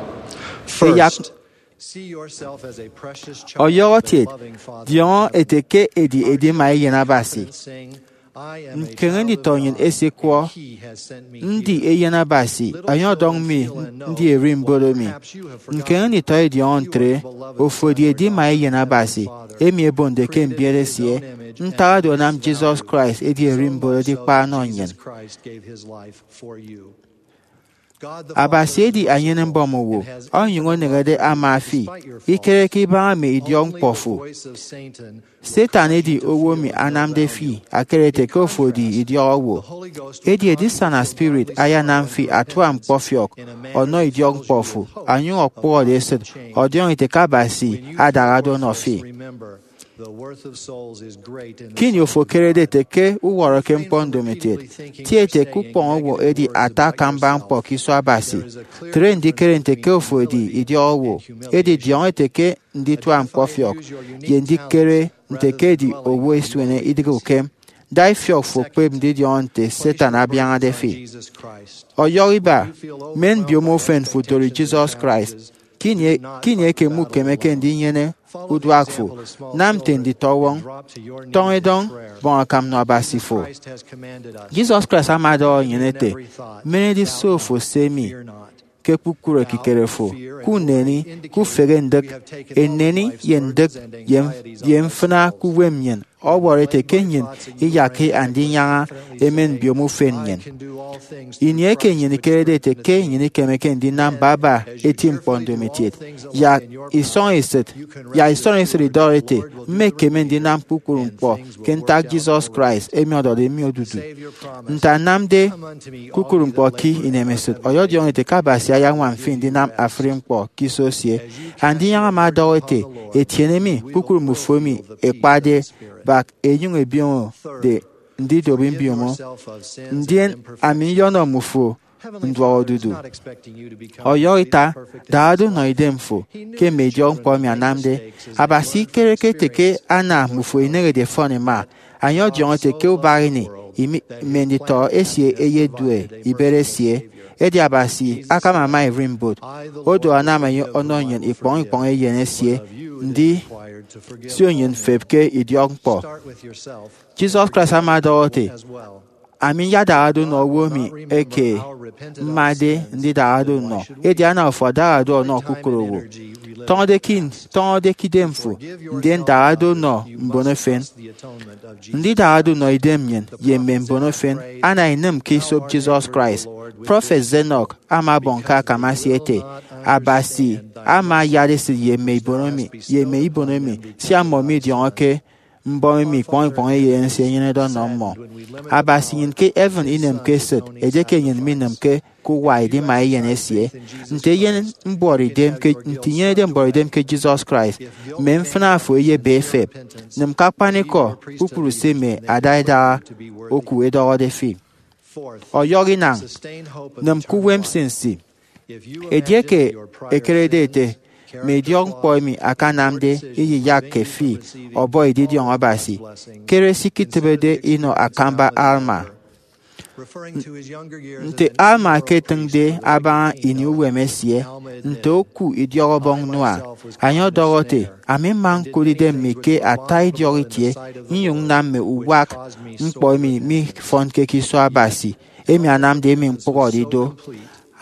First, see yourself as a precious child of a loving Father. Ọyọhọ kiet, diọñọ ete ke edi edima Eyen Abasi. Nkeñe nditọ nnyịn esikwọ, ndi Eyen Abasi, enye ọdọñ mi ndi ererimbot emi. Nkeñe nditọ idiọñọ ntre, ofo edi edima Eyen Abasi, emi ebonde ke mbiet esie. Ntak oro anam Jesus Christ edi ererimbot edikpa ọnọ nnyịn. Abasi edi enyene-mbọm owo, onyụñ oneñede ama fi, ikereke ibaña mme idiọkñkpọ fo. Satan edi owo emi anamde fi akere ete ke ofo edi idiọk owo. Edi edisana spirit ayanam fi atua ñkpọfiọk ọnọ idiọkñkpọ fo, onyụñ okpụhọde esịt ọdiọñọ ete ke Abasi adahado ọnọ fi. Kini ofo ekerede ete ke uwọrọke ñkpọ ndomokiet, ti ete ke ukpọñ owo edi ata akamba ñkpọ ke iso Abasi. Tre ndikere nte ke ofo edi idiọk owo, edi diọñọ ete ke nditua ñkpọfiọk, ye ndikere nte ke edi owo esuene idịghe ukem, da ifiọk fo kpep ndidiọñọ nte Satan abiañade fi. Ọyọhọ iba, men mbiomo ufen fo dori Jesus Christ. Kini, kini eke mukemeke ndinyene uduak fo, nam nte nditọwọñ, tọñ edọñ, bọñ akam nọ Abasi fo. Jesus Christ ama ọdọhọ nnyịn ete, men ediso fo se mi ke kpukpru ekikere fo, kuneni, kufehe ndịk, eneni ye ndịk, ye, ye mfịna ke uwem nnyịn, ọwọrọ ete ke nnyịn iyakke Andinyaña emen mbiomo ufen nnyịn. Ini eke nnyịn ikerede ete ke nnyịn ikemeke ndinam baba eti ñkpọ ndomokiet, yak isọñ esịt, yak isọñ esịt idọhọ ete, mmekeme ndinam kpukpru ñkpọ ke ntak Jesus Christ emi ọdọde mi odudu. Nte anamde kpukpru ñkpọ ke inemesịt, ọyọdiọñọ ete ke Abasi ayañwam fi ndinam afri ñkpọ ke iso esie. Andinyaña ama ọdọhọ ete, etiene mi, kpukpru mbufo emi ekpade bak, enyụñ ebioñode ndidobi mbiomo, ndien ami nyọnọ mmufo nduọk odudu. Ọyọhọ ita, dahado nọ idem fo ke mme idiọkñkpọ emi anamde. Abasi ikereke ete ke ana mmufo ineñede ẹfọn ima. Enye ọdiọñọ ete ke ubak ini, imi, mme nditọ esie ẹyedue ibet esie. Edi Abasi akam ama ererimbot. Odu anam enye ọnọ nnyịn ikpọñ ikpọñ Eyen esie, ndisio nnyịn mfep ke idiọkñkpọ. Jesus Christ ama ọdọhọ ete, ami nyadahado nnọ owo emi eke mmade ndidahado nnọ, edi ana ofo adahado ọnọ kpukpru owo. Tọñọde ke, tọñọde ke idem fo, ndien dahado nnọ mbon efen. Ndidahado nnọ idem nnyịn ye mme mbon efen ana inịm ke esop Jesus Christ. Prọfet Enoch ama ọbọñ ke akam esie ete, Abasi ama ayat esịt ye mme ibon emi, ye mme ibon emi, sia mmọ midiọñọke mbọm emi ikpọñ ikpọñ Eyen esie enyenede ọnọ mmọ. Abasi nnyịn ke heaven inemke esịt edieke nnyịn minịmke ke uwa edima Eyen esie. Nte eyen mbuọtidem ke, nte inyenede mbuọtidem ke Jesus Christ, mme mfịna fo eyebe efep. Nịm ke akpanikọ kpukpru se mme ada idaha oku ẹdọhọde fi. Ọyọhọ inañ, nịm ke uwem nsinsi. Edieke ekerede ete mme idiọkñkpọ emi akanamde iyiyakke fi ọbọ edidiọñ Abasi, kere se iketịbede inọ akamba Alma. Nte Alma eketịñde abaña ini uwem esie nte oku idiọk ọbọñ Noah, enye ọdọhọ ete, "Ami mma ñkụt idem mi ke ata idiọk itie, nnyụñ nnam mme uwak ñkpọ emi mifọnke ke iso Abasi, emi anamde emi ñkpụhọde ido."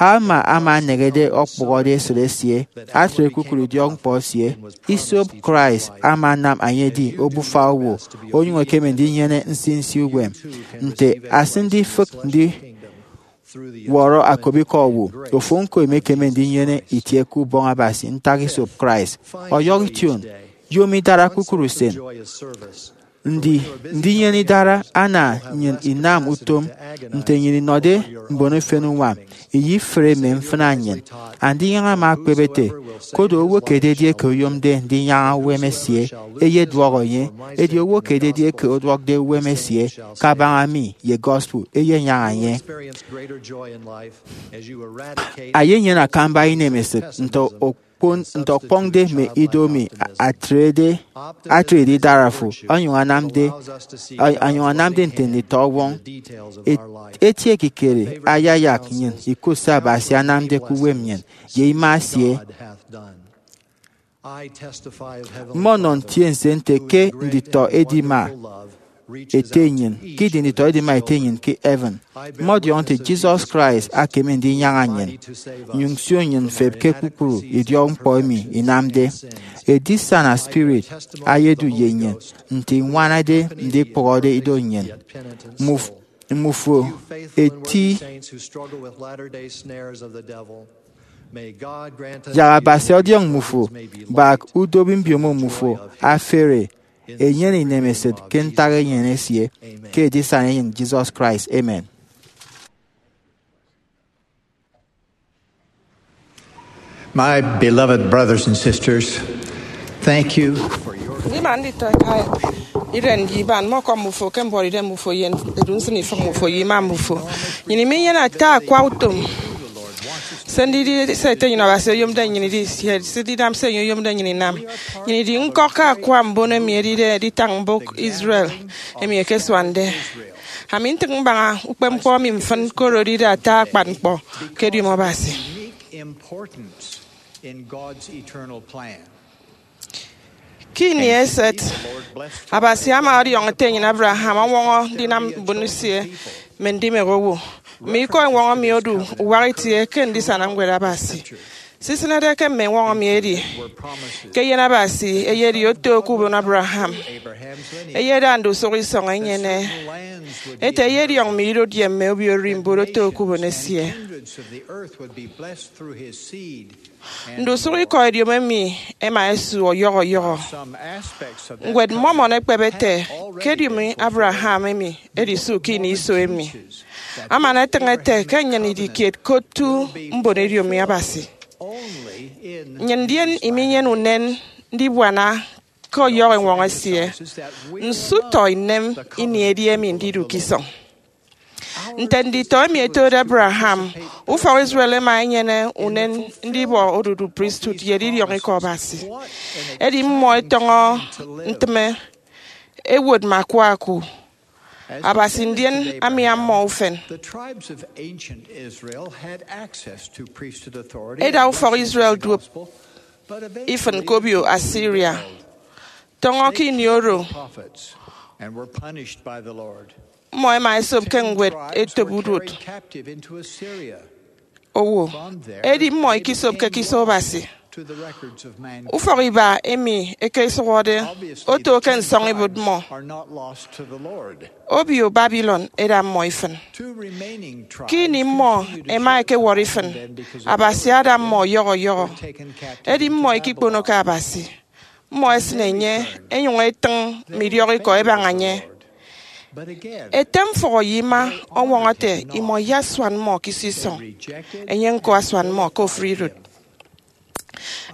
Alma ama eneñede ọkpụhọde esịt esie, atre kpukpru idiọk ñkpọ esie. Isop Christ ama anam enye edi obufa owo, onyụñ ekeme ndinyene nsinsi uwem. Nte asịnde ifịk ndiwọrọ akobikọ owo, ofo ñko emekeme ndinyene itie ke ubọñ Abasi ntak isop Christ. Ọyọhọ ition, yom idara kpukpru usen. Ndi ndinyene idara ana nnyịn inam utom nte nnyịn inọde mbon efen uñwam, iyifre mme mfịna nnyịn. Andinyaña ama ekpep ete, "Koro owo ke ededi eke oyomde ndinyaña uwem esie, eyeduọk enye, edi owo ke ededi eke ọduọkde uwem esie kabaña mi ye gospel, eyenyaña enye." Eyenyene akamba inemesịt nte okpon nte ọkpọñde mme ido emi atrede atrede idara fo, onyụñ anamde onyụñ anamde nte nditọ ọwọñ. Eti ekikere ayayak nnyịn ikụt se Abasi anamde ke uwem nnyịn ye ima esie. Mmọnọ ntiense nte ke nditọ edima ete nnyịn ke idi nditọ edima ete nnyịn ke heaven. Mmọdiọñọ nte Jesus Christ akeme ndinyaña nnyịn, nyụñ sio nnyịn mfep ke kpukpru idiọk ñkpọ emi inamde. Edisana spirit ayedu ye nnyịn nte iñwanade ndikpụhọde ido nnyịn. Mmuf- mmufo eti yak Abasi ọdiọñ mmufo, bak udobi mbiomo mmufo afere, enyene inemesịt ke ntak enyịn esie, ke edisana enyịn Jesus Christ. Amen. My beloved brothers and sisters, thank you for your Ndima nditọ eka iren ye iban, mmọkọm mmufo ke mbuọtidem mmufo ye edu nsịn ifịk mmufo ye ima mmufo. Nnyịn iminyene ata akwa utom. Se ndidi se ete nnyịn Abasi oyomde nnyịn idi, ye se ndinam se enye oyomde nnyịn inam. Nnyịn idi ñkọk ke akwa mbon emi ẹdide editañ mbụk Israel emi ẹkesuande. Ami ntịñ mbaña ukpepñkpọ emi mfịn, koro edide ata akpan ñkpọ ke ediomi Abasi. Ke ini eset, Abasi ama ọdiọñ ete enyịn Abraham ọñwọñọ ndinam mbon esie mme ndimek owo. Mme ikọ eñwọñọ emi odu uwak itie ke ndisana Ñwed Abasi. Se isịnede ke mme eñwọñọ emi edi ke eyen Abasi eyedi oto ke ubon Abraham. Eyeda ndusụk isọñ enyene ete eyediọñ mme idụt ye mme obio ererimbot oto ke ubon esie. Ndusụk ikọ ediomi emi ẹma ẹsu ọyọhọ ọyọhọ. Ñwed Mormon ekpep ete ke ediomi Abraham emi edi su ke ini iso emi. Aman etịñ ete ke nnyịn idi kiet ke otu mbon ediomi Abasi. Nnyịn ndien iminyene unen ndibuana ke ọyọhọ eñwọñọ esie. Nso utọ inem ini edi emi ndidu ke isọñ! Nte nditọ emi ẹtode Abraham, ufọk Israel ẹma ẹnyene unen ndibọ odudu pristut ye edidiọñ ikọ Abasi. Edi mmọ ẹtọñọ ntịme, ẹwot mme akwa oku Abasi ndien amia mmọ ufen. Eda ufọk Israel duop ifịn ke obio Assyria. Tọñọ ke ini oro, mmọ ẹma ẹsop ke ñwed etop uduot owo, edi mmọ ikisopke ke iso Abasi. Ufọk iba emi ẹkesụhọde oto ke nsọñibuot mmọ. Obio Babylon eda mmọ ifịn. Ke ini mmọ ẹma ẹkewọrọ ifịn, Abasi ada mmọ ọyọhọ ọyọhọ. Edi mmọ ikikponoke Abasi. Mmọ ẹsịn enye, ẹnyụñ ẹtịñ mme idiọk ikọ ẹbaña enye. Ete mfụhọ ye ima ọñwọñọ ete imọ iyasuan mmọ ke iso isọñ, enye ñko asuan mmọ ke ofụri idụt.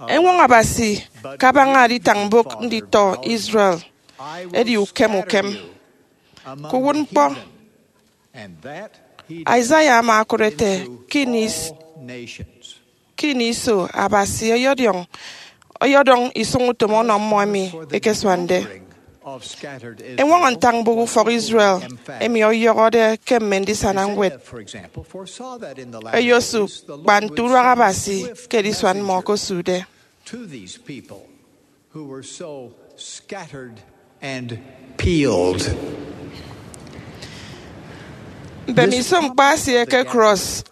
Eñwọñọ Abasi kabaña editañ mbụk nditọ Israel edi ukem ukem. Ke uwụtñkpọ, Isaiah ama okụt ete ke ini is- ke ini iso Abasi ọyọdiọñ ọyọdọñ isụñutom ọnọ mmọ emi ẹkesuande. Eñwọñọ ntañ mbụk ufọk Israel emi ọyọhọde ke mme ndisana ñwed ẹyosụk kpa nte uduak Abasi ke edisuan mmọ okosụkde. Mbemiso ñkpa esie ke cross,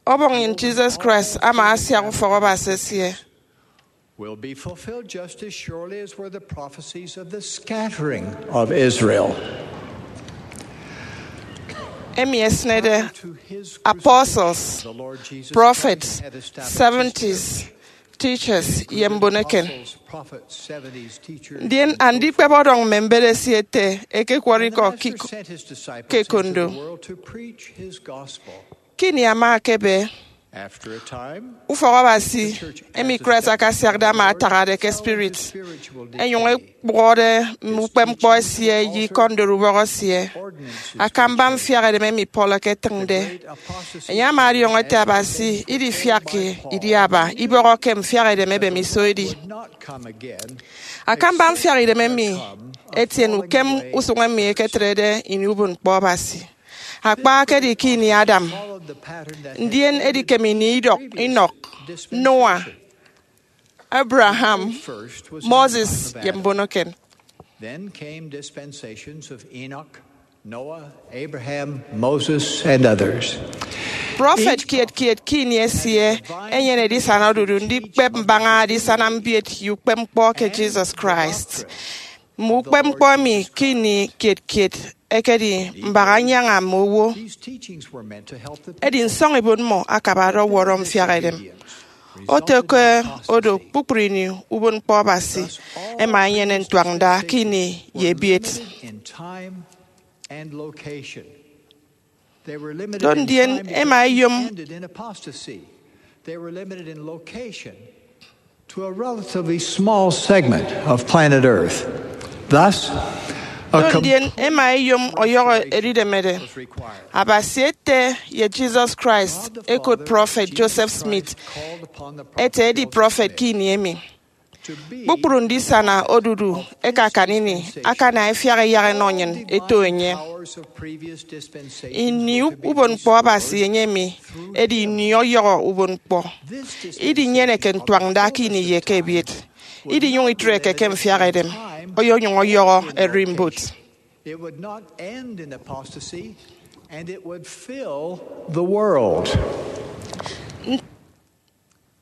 ọbọñ nnyịn Jesus Christ ama asiak ufọk Abasi esie. Will be fulfilled just as surely as were the prophecies of the scattering of Israel. Emi esịnede apostles, prophets, seventies, teachers, ye mbon eken. Ndien andikpep ọdọñ mme mbet esie ete ẹkekwọrọ ikọ ke ekondo. Ke ini ama ekebe, ufọk Abasi emi Christ akasiakde ama atahade ke spirit, ẹnyụñ ẹkpụhọde mme ukpepñkpọ esie ye ikọ ndorubọk esie. Akamba mfiak edem emi Paul eketịñde, enye ama ọdiọñọ ete Abasi idifiakke idi aba ibọhọke mfiak edem ebem iso edi. Akamba mfiak idem emi etiene ukem usụñ emi eketrede ini ubon ñkpọ Abasi. Akpa ekedi ke ini Adam, ndien edikem ini Idọk, Inọk, Noah, Abraham, Moses, ye mbon eken. Then came dispensations of Enoch, Noah, Abraham, Moses, and others. Prọfet kiet kiet ke ini esie enyene edisana odudu ndikpep mbaña edisana mbiet ye ukpepñkpọ ke Jesus Christ. Mme ukpepñkpọ emi ke ini kiet kiet ẹkedi mbak anyaña mme owo. Edi nsọñibuot mmọ akabade ọwọrọ mfiak edem. Oto ke odo, kpukpru ini ubon ñkpọ Abasi ẹma ẹnyene ntuañda ke ini ye ebiet. Do ndien ẹma ẹyom to a relatively small segment of planet Earth. Thus, a Do ndien ẹma ẹyom ọyọhọ edidemede. Abasi ete ye Jesus Christ ẹkot prọfet Joseph Smith ete edi prọfet ke ini emi. Kpukpru ndisana odudu ẹkakan ini akana ẹfiak ẹyak ẹnọ nnyịn ẹto enye. Ini ubon ñkpọ Abasi enye emi edi ini ọyọhọ ubon ñkpọ. Idinyeneke ntuañda ke ini ye ke ebiet. Idinyụñ itreke ke mfiak edem. Oyonyụñ ọyọhọ ererimbot. It would not end in apostasy, and it would fill the world.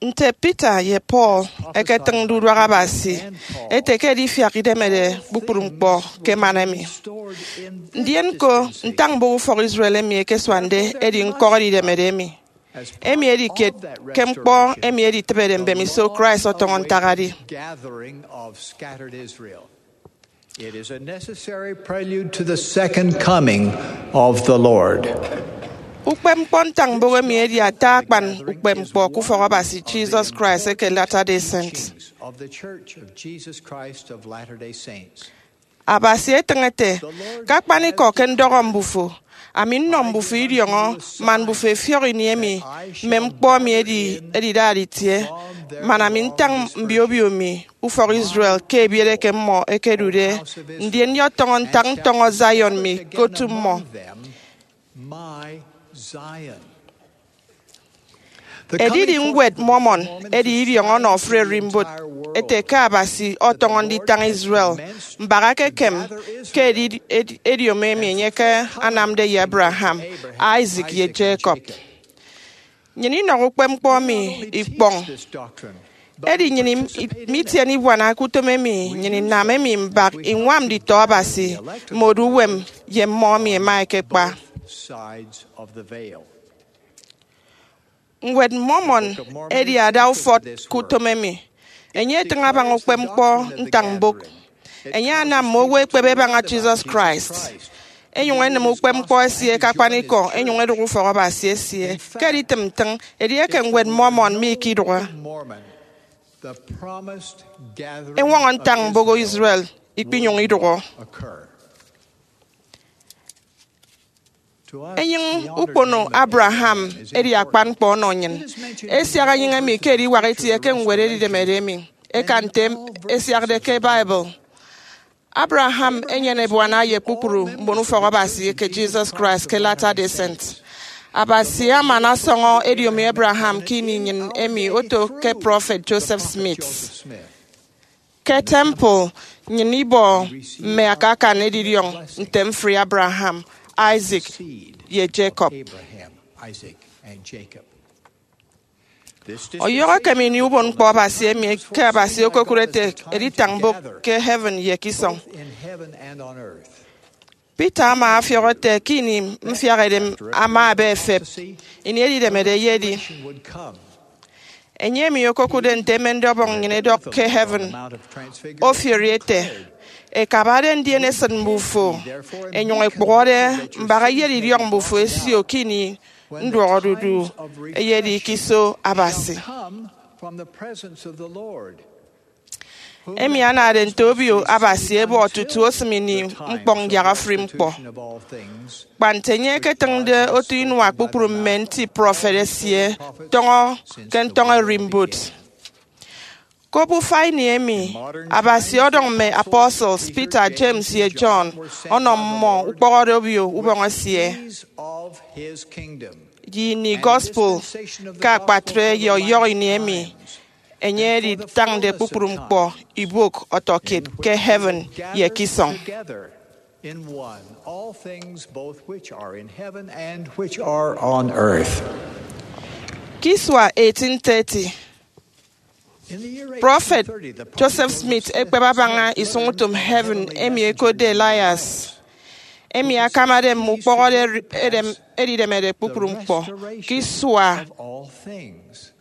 Nte Peter ye Paul ẹketịñde uduak Abasi ete ke edifiak idemede kpukpru ñkpọ ke man emi. Ndien ko ntañ mbụk ufọk Israel emi ẹkesuande edi ñkọk edidemede emi. Emi edi kiet ke ñkpọ emi editịbede mbemiso Christ ọtọñọ ntak edi. Gathering of scattered Israel. It is a necessary prelude to the second coming of the Lord. Ukpepñkpọ ntañ mbụk emi edi ata akpan ukpepñkpọ ke ufọk Abasi Jesus Christ eke Latter-day Saints. Of the Church of Jesus Christ of Latter-day Saints. Abasi etịñ ete, ke akpanikọ ke ndọhọ mbufo, ami nnọ mbufo idiọñọ man mbufo ẹfiọk ini emi mme ñkpọ emi edi, ẹdidade itie, man ami ntañ mbio obio mi, ufọk Israel, ke ebiet eke mmọ ẹkedude, ndien nyọtọñọ ntak ntọñọ Zion mi ke otu mmọ. My Zion. Edidi Ñwed Mormon edi idiọñ ọnọ ofụri ererimbot ete ke Abasi ọtọñọ nditañ Israel mbak ekekem ke edi-, edi-, ediomi emi enye ke anamde ye Abraham, Isaac, ye Jacob. Nnyịn inọhọ ukpepñkpọ emi ikpọñ. Edi nnyịn im-, i-, mitiene ibuana ke utom emi nnyịn inam emi mbak iñwam nditọ Abasi mme odu uwem ye mmọ emi ẹma ẹkekpa. Ñwed Mormon edi ada ufọt ke utom emi. Enye etịñ abaña ukpepñkpọ ntañ mbụk. Enye anam mme owo ẹkpep ẹbaña Jesus Christ, ẹnyụñ ẹnịm ukpepñkpọ esie ke akpanikọ, ẹnyụñ ẹdụk ufọk Abasi esie. Ke editịm ntịñ, edieke Ñwed Mormon mikidụhe, eñwọñọ ntañ mboho Israel ikpinyụñ idụhọ. Enyịñ ukpono Abraham edi akpan ñkpọ ọnọ nnyịn. Esiak enyịñ emi ke ediwak itie ke ñwed edidemede emi, eka nte esiakde ke Bible. Abraham enyene ebuana ye kpukpru mbon ufọk Abasi eke Jesus Christ ke Latter-day Saint. Abasi aman asọñọ ediomi Abraham ke ini nnyịn emi oto ke prọfet Joseph Smith. Ke temple, nnyịn ibọ mme akakan edidiọñ nte mfri Abraham, Isaac, ye Jacob. Ọyọhọ ekem ini ubon ñkpọ Abasi emi ke Abasi okokụt ete editañ mbụk ke heaven ye ke isọñ. Peter ama ọfiọk ete ke ini mfiak edem ama ebe efep, ini edidemede eyedi. Enye emi okokụtde nte emende Ọbọñ nnyịn edọk ke heaven ofiori ete, ekabade ndien esịt mbufo, enyụñ ekpụhọde mbak eyet idiọk mbufo esio ke ini nduọkodudu eyedi ke iso Abasi. Emi anade nte obio Abasi ebọ tutu osịm ini ñkpọñ yak ofụri ñkpọ, kpa nte enye eketịñde otu inua kpukpru mme nti prọfet esie tọñọ ke ntọñọ erimbot. Ke obufa ini emi, Abasi ọdọñ mme apostles Peter, James, ye John ọnọ mmọ ukpọhọde obio ubọñ esie. Ye ini gospel ke akpatre ye ọyọhọ ini emi enye editañde kpukpru ñkpọ ibok ọtọkiet ke heaven ye ke isọñ. Together in one all things both which are in heaven and which are on earth. Ke isua eighteen thirty, In the year prọfet eighteen thirty, the Pope Joseph Smith ekpep abaña isụñutom heaven emi ẹkotde Elias, emi akamade mme ukpọhọde eri- edem- edidemede kpukpru ñkpọ. Ke isua of all things.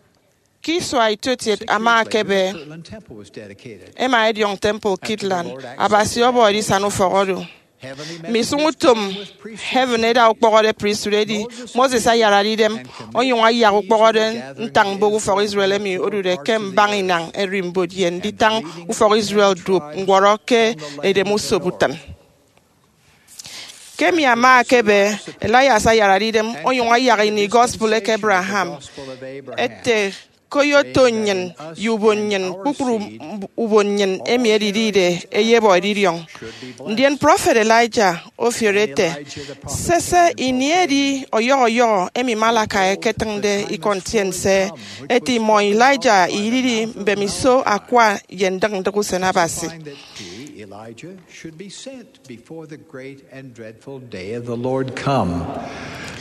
ke isua itietiet ama ekebe, Kirtland Temple was dedicated. Ẹma ẹdiọñ temple Kirtland. Abasi ọbọ edisana ufọk oro. Mme isụñutom heaven ẹda ukpọhọde priesthood edi. Moses ayarade idem onyụñ ayak ukpọhọde ntañ mbụk ufọk Israel emi odude ke mbaña inañ erimbot ye nditañ ufọk Israel duop ñwọrọ ke edem usop utịn. Ke emi ama ekebe, Elias ayarade idem onyụñ ayak ini gospel eke Abraham ete ke oyoto nnyịn ye ubon nnyịn, kpukpru mb- ubon nnyịn emi ẹdidide ẹyebọ edidiọñ. Ndien prọfet Elijah ofiori ete, sese, ini edi ọyọhọ ọyọhọ emi Malachi eketịñde ikọ ntiense ete imọ Elijah ididi mbemiso akwa ye ndịk ndịk usen Abasi. Find that he, Elijah, should be sent before the great and dreadful day of the Lord come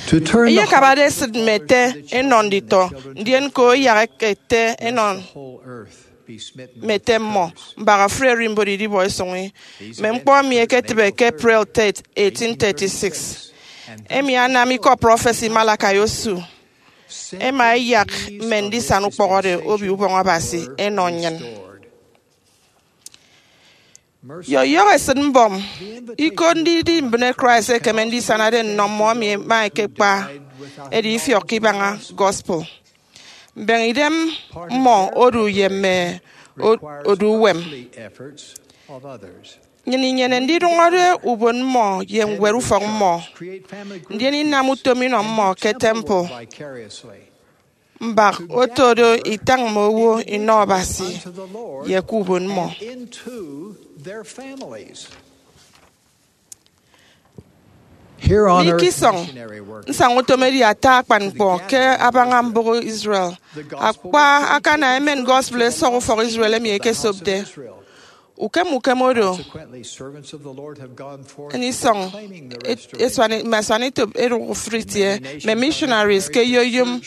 to turn the Eyekabade hearts esịt mme ete enọ nditọ, ndien ke oyak ete enọ whole earth be smitten mme ete mmọ, mbak ofụri erimbot idibọ isụñi. Mme ñkpọ emi eketịbe ke April third, eighteen thirty-six. Emi anam ikọ prọfesi Malachi osu. Ẹma ẹyak mme ndisana ukpọhọde obio ubọñ Abasi ẹnọ nnyịn. Ye ọyọhọ esịt mbọm, iko ndidi mbịne Christ ekeme ndisanade nnọ mmọ emi ẹma ẹkekpa ẹdi ifiọk ke ibaña gospel. Mbeñe idem mmọ odu ye mme o- odu uwem. Nnyịn inyene ndidụñọde ubon mmọ ye ñwed ufọk mmọ, ndien inam utom inọ mmọ ke temple, mbak oto do itañ mme owo inọ Abasi ye ke ubon mmọ. Here on Ni earth, ke isọñ, missionary work. Nsaña utom edi ata akpan ñkpọ ke abaña mbụk Israel. Akpa akana emen gospel esọk ufọk Israel emi ekesopde. Ukem ukem oro, Consequently, servants of the Lord have gone forth enisọñ proclaiming the et- restoration. esuani- mme asuanetop eruk ufrit ye mme missionaries ke eyoyom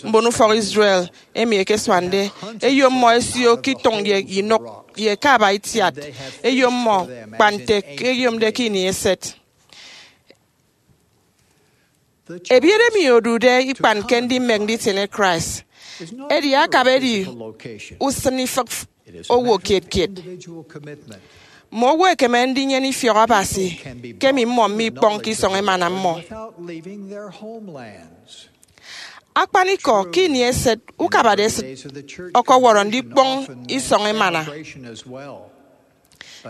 mbon ufọk Israel emi ekeswande. Eyom mmọ esio ke itọñ ye inụk ye ke aba itiat. Eyom mmọ kpa nte ke eyomde ke ini eset. Ebiet emi odude ikpan ke ndimek nditiene Christ. Edi akaba edi usịn ifịk owo kiet kiet. Mme owo ẹkeme ndinyene ifiọk Abasi ke emi mmọ mikpọñke isọñ emana mmọ. Akpanikọ, ke ini eset, ukabade esịt ọkọwọrọ ndikpọñ isọñ emana.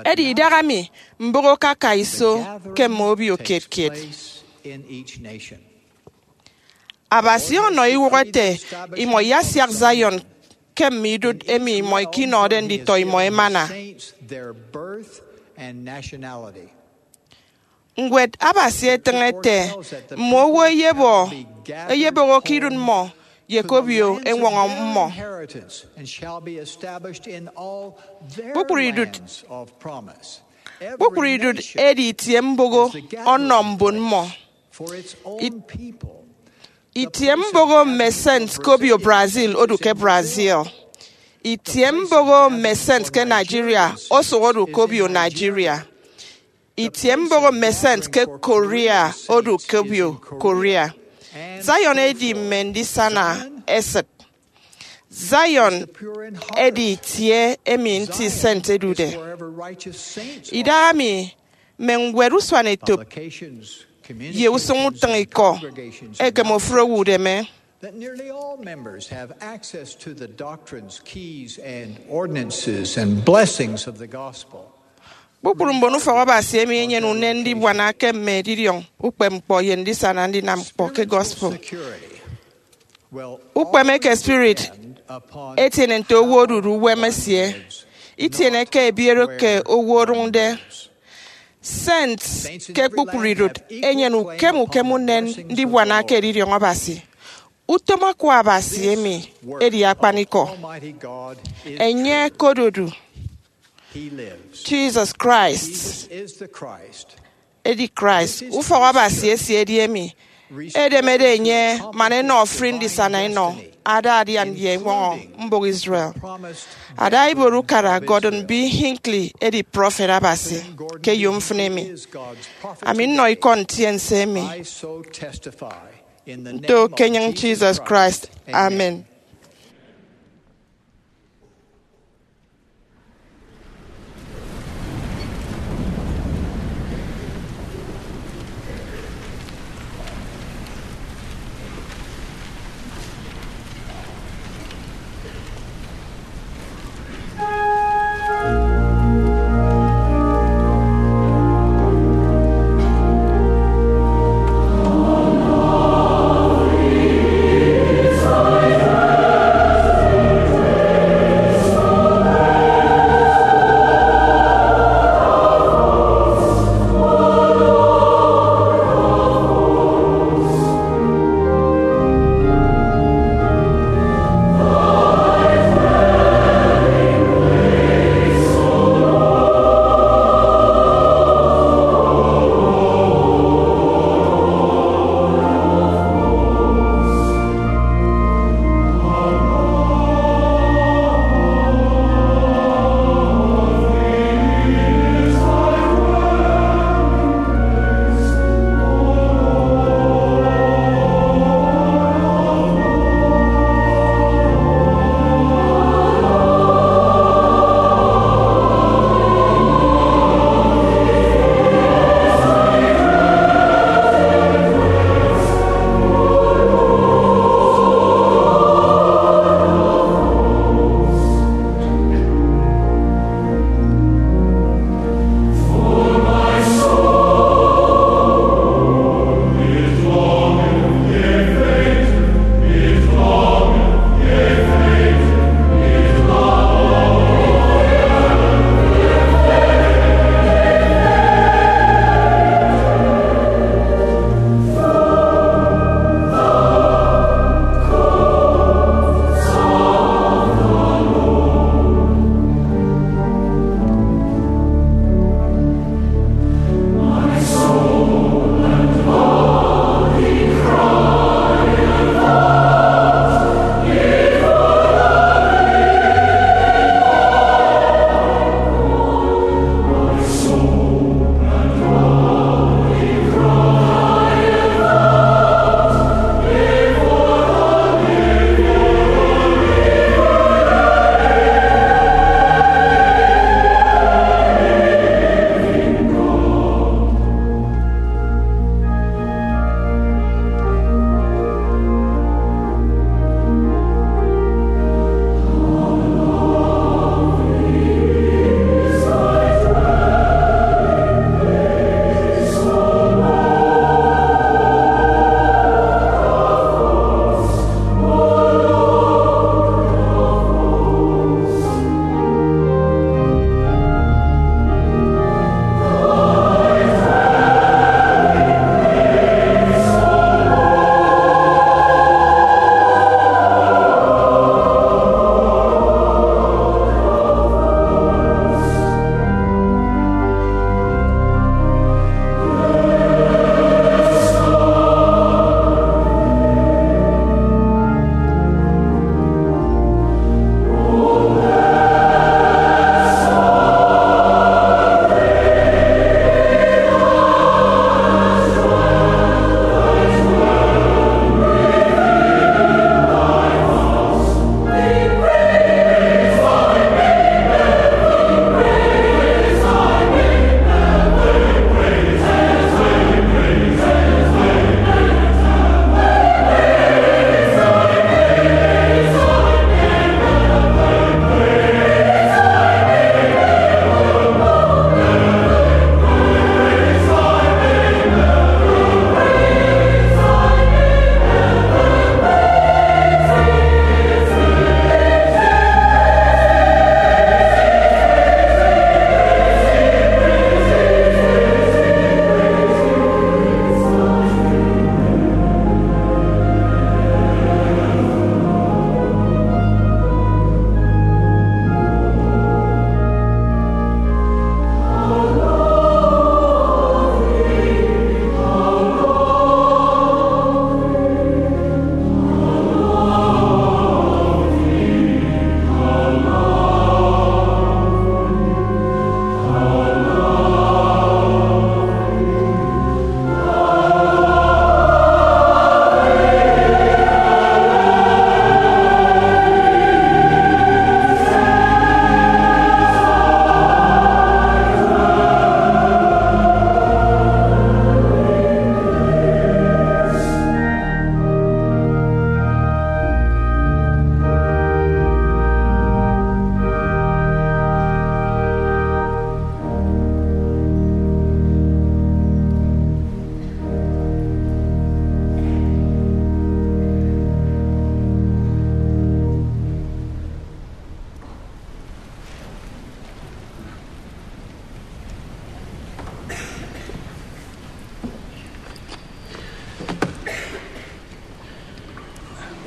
Edi idahaemi, mbụk okaka iso ke mme obio kiet kiet. Abasi ọnọ iwụk ete imọ iyasiak Zion ke mme idụt emi imọ ikinọde nditọ imọ emana. and nationality. Ñwed Abasi etịñ ete, mme owo eyebo, eyeboho ke idụt mmọ, ye ke obio eñwọñọ mmọ. Kpukpru idụt, kpukpru idụt edi itie mboho ọnọ mbon mmọ. Itie mboho mme sent ke obio Brazil odu ke Brazil. Itie mboho mme sent ke Nigeria osụk odu ke obio Nigeria. Itie mboho mme sent ke Korea odu ke obio Korea. Zion edi mme ndisana esịt. Zion edi itie emi nti sent edude. Idahaemi mme ñwed usuanetop ye usụñ utịñikọ ekem ofụri owo udeme. That nearly all members have access to the doctrines, keys, and ordinances and blessings of the gospel. Kpukpru mbon ufọk Abasi emi enyene unen ndibuana ke mme edidiọñ ukpepñkpọ ye ndisana ndinam ñkpọ ke gospel. Ukpeme eke spirit etiene nte owo odude uwem esie, itiene ke ebiere ke owo odụñde. Sent ke kpukpru idụt enyene ukem ukem unen ndibuana ke edidiọñ Abasi. Utom Akwa Abasi emi edi akpanikọ. Enye okododu. Jesus Christ edi Christ, ufọk Abasi esie edi emi edemede enye man enọ ofụri ndisana enọ ada adian ye eñwọñọ mbụk Israel. Ada Iboro Ukara Gordon B. Hinckley edi prọfet Abasi ke eyomfịn emi. Ami nnọ ikọ ntiense emi nto ke enyịñ Jesus Christ. Amen.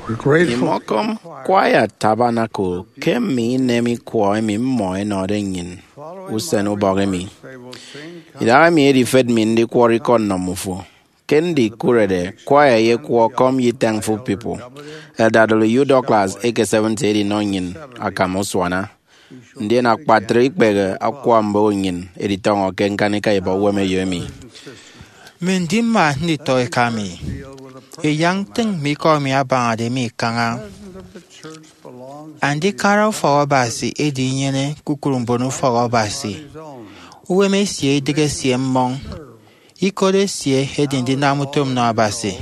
Imọkọm Choir Tabernacle ke mme inem ikwọ emi mmọ ẹnọde nnyịn usen ubọk emi. Idahaemi edifet mi ndikwọrọ ikọ nnọ mmufo. Ke ndikụrede, choir eyekwọ Come Ye Thankful People. Elder W. Douglas eke Seventh edinọ nnyịn akam usuana, ndien akpatre ikpehe akwa mbon nnyịn editọñọ ke ñkanika ibọk uwem eyo emi. Mme ndima nditọ eka mi, ẹyak ntịñ mme ikọ emi abañade mi kaña. Andikara ufọk Abasi edi inyene kpukpru mbon ufọk Abasi. Uwem esie idịghe esie mmọñ. Ikot esie edi ndinam utom nnọ Abasi.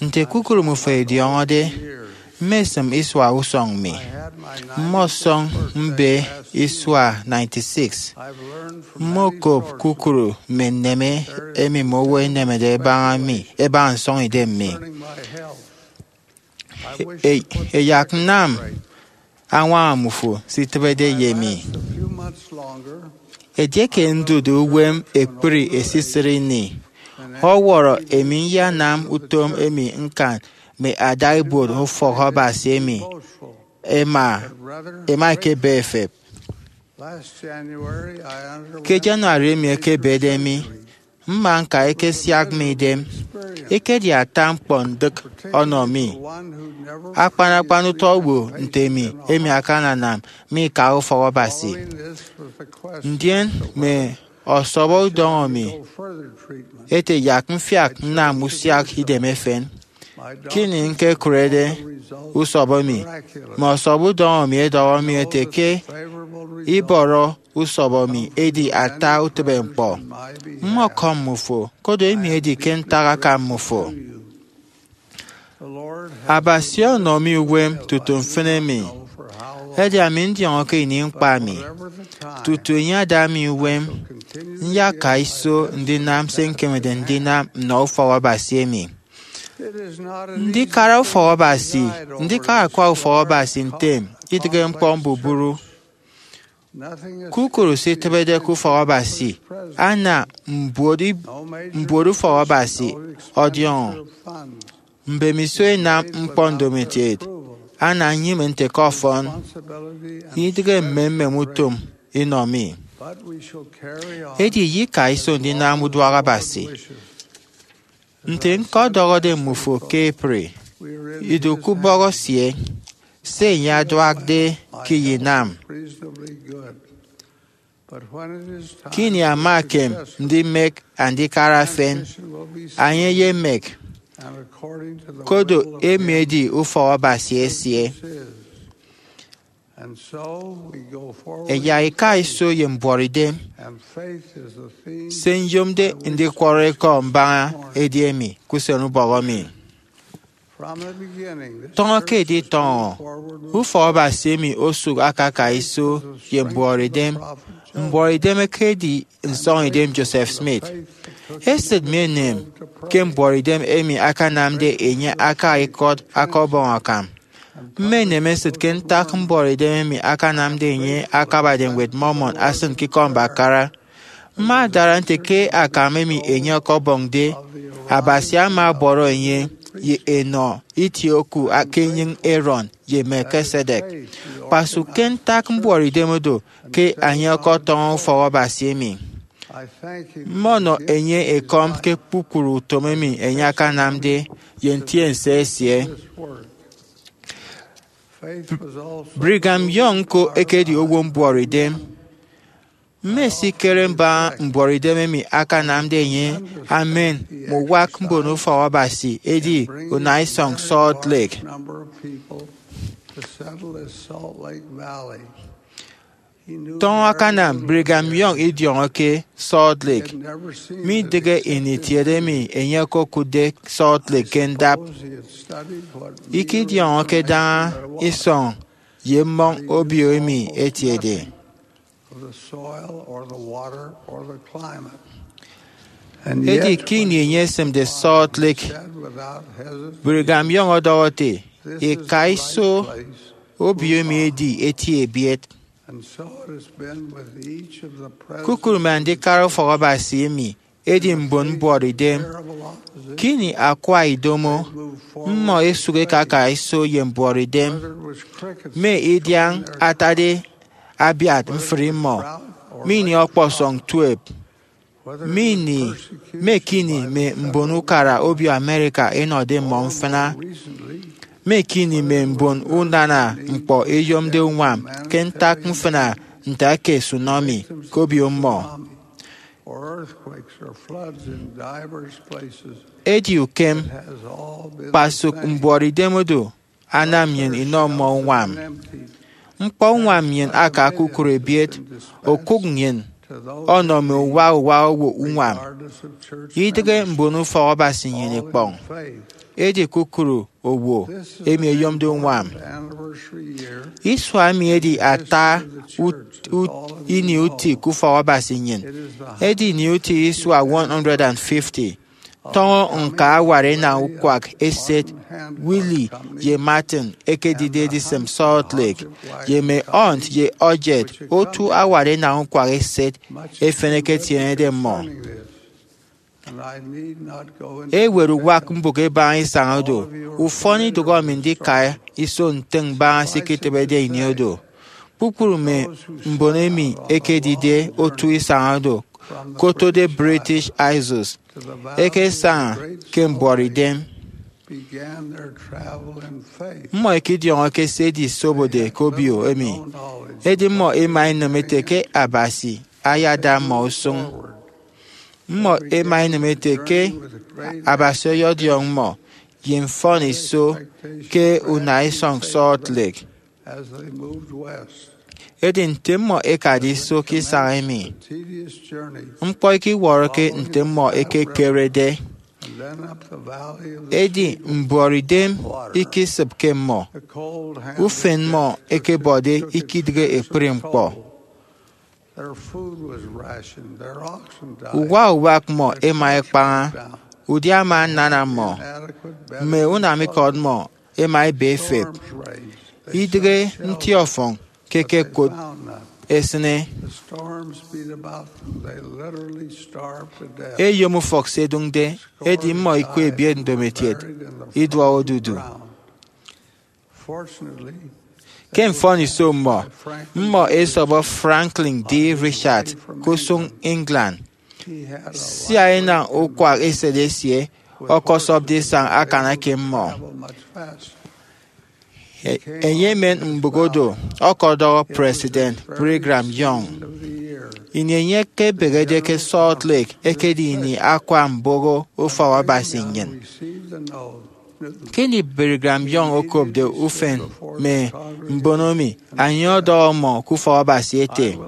Nte kpukpru mmufo ẹdiọñọde, mmesịm isua usọñ mi. Mmọsọñ mbe isua ninety-six. Mmokop kpukpru mme nneme emi mme owo ẹnemede ẹbaña mi ẹbaña nsọñidem mi. E- ẹyak nnam añwaña mmufo se itịbede ye mi. Edieke ndụk uwem ekpri esisịt ini, ọwọrọ emi iyanam utom emi ñkan mme adaibuot ufọk Abasi emi ẹma ẹma ẹkebe ẹfep. Ke January emi ekebede mi, mma ñka ekesiak mi idem. Ekedi ata ñkpọ ndịk ọnọ mi, akpan akpan utọ owo nte mi emi akananam mi ika ufọk Abasi. Ndien mme ọsọbọ udọñọ mi ete yak mfiak nnam usiak idem efen. Ke ini ñkekụrede usọbọ mi, mme ọsọbọ udọñọ mi ẹdọhọ mi ẹte ke ibọrọ usọbọ mi edi ata utịbeñkpọ. Mmọkọm mmufo, koro emi edi ke ntak akam mmufo. Abasi ọnọ mi uwem tutu mfịn emi, edi ami ndiọñọke ini ñkpa mi. Tutu enye ada mi uwem, nyaka iso ndinam se ñkemede ndinam nnọ ufọk Abasi emi. Ndikara ufọk Abasi, ndikara akwa ufọk Abasi ntem, idịghe ñkpọ mbubru. Kpukpru se itịbede ke ufọk Abasi ana mbuot ib- mbuot ufọk Abasi ọdiọñọ. Mbemiso ẹnam ñkpọ ndomokiet, ana nnyịme nte ke ọfọn, idịghe mmemmem utom inọ mi. Edi iyika iso ndinam uduak Abasi. Nte ñkọdọhọde mmufo ke April, idu ke ubọk esie, se enye aduakde ke iyinam. Ke ini ama ekem ndimek andikara efen, enye eyemek, koro emi edi ufọk Abasi esie. Ẹyak ika iso ye mbuọtidem. Se nyomde ndikwọrọ ikọ mbaña edi emi ke usen ubọk emi. Tọñọ ke editọñọ, ufọk Abasi emi osụk akaka iso ye mbuọtidem. Mbuọtidem ekedi nsọñidem Joseph Smith. Esịt mi enem ke mbuọtidem emi akanamde enye aka ikọt aka Ọbọñ akam. Mme enemesịt ke ntak mbuọtidem emi akanamde enye akabade Ñwed Mormon asịn ke Ikọmbakara. Mma adara nte ke akam emi enye ọkọbọñde, Abasi ama ọbọrọ enye ye enọ itie oku ke enyịñ Aaron ye Melchizedek. Kpasụk ke ntak mbuọtidem odo ke enye ọkọtọñọ ufọk Abasi emi. Mmọnọ enye ekọm ke kpukpru utom emi enye akanamde ye ntiense esie. Brigham Young ñko ekedi owo mbuọtidem. Mmesikere mbaña mbuọtidem emi akanamde enye amen mme uwak mbon ufọk Abasi edi unaisọñ Salt Lake. Tọñọ akanam Brigham Young idiọñọ ke Salt Lake. Midịghe ini itiede emi enye okokụtde Salt Lake ke ndap. Ikidiọñọke daña isọñ ye mmọñ obio emi etiede. Edi ke ini enye esịmde Salt Lake, Brigham Young ọdọhọ ete, ika iso, obio emi edi eti ebiet. Kukụre mme andikara ufọk Abasi emi edi mbon mbuọtidem. Ke ini akwa idomo, mmọ esụk ekaka iso ye mbuọtidem. Mme idiañ atade abiat mfri mmọ, mme ini ọkpọsọñ tuep, mme ini, mme ke ini mme mbon ukara obio America enọde mmọ mfịna, mme ke ini mme mbon unana ñkpọ eyomde uñwam ke ntak mfịna nte ake tsunami ke obio mmọ. Edi ukem, kpasụk mbuọtidem odu anam nnyịn inọ mmọ uñwam. Ñkpọ uñwam nnyịn aka kukụre ebiet, okụk nnyịn ọnọ mme uwa uwa owo uñwam, idịghe mbon ufọk Abasi nnyịn ikpọñ, edi kukụre owo emi eyomde uñwam. Isua emi edi ata ut- ut- ini uti ke ufọk Abasi nnyịn. Edi ini uti isua one hundred and fifty. Tọñọ ñka awat enañ ukwak eset Willie ye Martin ẹkedide edisịm Salt Lake, ye mme aunt ye ọjet otu awat enañ ukwak eset efen ẹketienede mmọ. Ewet uwak mbụk ebaña isañ odu. Ufọn idụhọ mi ndika iso ntịñ mbaña se iketịbede ini odu. Kpukpru mme mbon emi ẹkedide otu isañ odu, kotode British Isles, ẹkesaña ke mbuọtidem. Mmọ ikidiọñọke se edisobode ke obio emi, edi mmọ ẹma ẹnịm ẹte ke Abasi ayada mmọ usụñ. Mmọ ẹma ẹnịm ẹte ke Abasi ọyọdiọñ mmọ ye mfọniso ke unaisọñ Salt Lake. Edi nte mmọ ẹkade iso ke isañ emi, ñkpọ ikiwọrọke nte mmọ ẹkekerede. Edi mbuọtidem ikisịpke mmọ, ufen mmọ ẹkebọde ikidịghe ekpri ñkpọ. Uwa uwak mmọ ẹma ẹkpaña, udia ama anana mmọ, mme unamikọt mmọ ẹma ẹbe ẹfep, idịghe nti ọfọñ ke ẹkekot ẹsịne. Eyom ufọk se ẹdụñde, edi mmọ ikwe ebiet ndomokiet iduọk odudu. Ke mfọniso mmọ, mmọ ẹsọbọ Franklin D. Richard ke usụñ England, sia enañ ukwak eset esie ọkọsọpde isañ akana ke mmọ. E- enye emen mbụk odu ọkọdọhọ President Brigham Young. Ini enye ekebehede ke Salt Lake ekedi ini akwa mboho ufọk Abasi nnyịn. Ke ini Brigham Young okopde ufen mme mbono mi, enye ọdọhọ mmọ ke ufọk Abasi ete,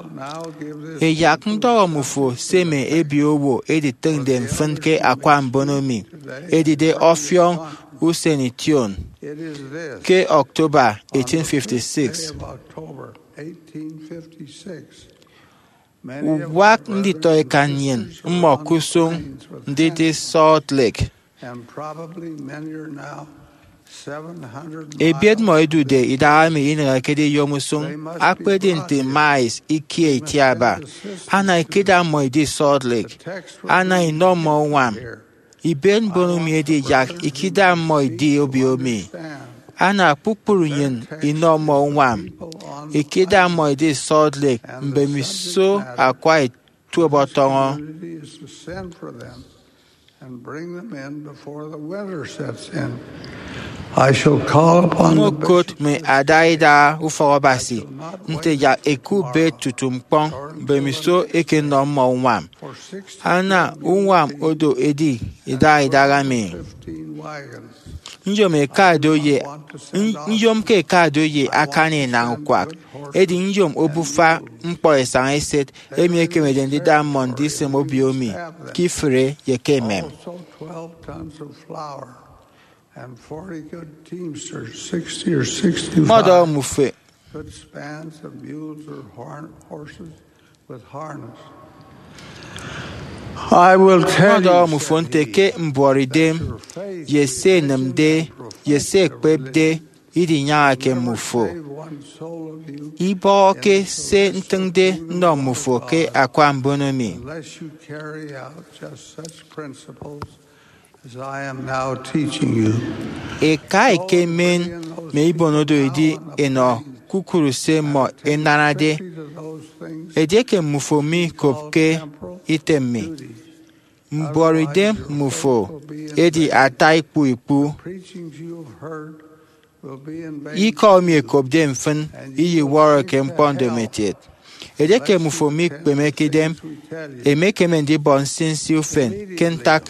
Eyak ndọhọ mmufo se mme ebio owo ẹditịñde mfịn ke akwa mbono mi, edide ọfiọñ usen ition ke October eighteen fifty-six. Uwak nditọeka nnyịn mmọ ke usụñ ndidi Salt Lake. Ebiet mmọ ẹdude idaha emi inịghekede iyom usụñ, akpedi nte miles ikie itiaba. Ana ikida mmọ idi Salt Lake, ana inọ mmọ uñwam. Ibet mbono mi edi yak ikida mmọ idi obio mi. Ana kpukpru nnyịn inọ mmọ uñwam, ikida mmọ idi Salt Lake mbemiso akwa ituep ọtọñọ. Ñkokot mme ada idaha ufọk Abasi nte yak ẹkubet tutu ñkpọñ mbemiso ẹkenọ mmọ uñwam. Ana uñwam odo edi idaha idaha mi. Nyom eka do ye nyom ke eka do ye akani enañ ukwak, edi nyom obufa ñkpọ esañ eset emi ekemede ndida mmọ ndisịm obio mi ke ifụre ye ke emem. Mmọdọhọ mmufo Mmọdọhọ mmufo nte ke mbuọtidem ye se ẹnịmde ye se ẹkpepde idinyañake mmufo. Ibọhọke se ntịñde nnọ mmufo ke akwa mbono mi. Eka ekemen mme ibonodo edi enọ kpukpru se mmọ enanade. Edieke mmufo mikopke item mi, mbuọtidem mmufo edi ata ikpu ikpu. Ikọ emi ekopde mfịn iyiwọrọke ñkpọ ndomokiet. Edieke mmufo mikpemeke idem, emekeme ndibọ nsinsi ufen ke ntak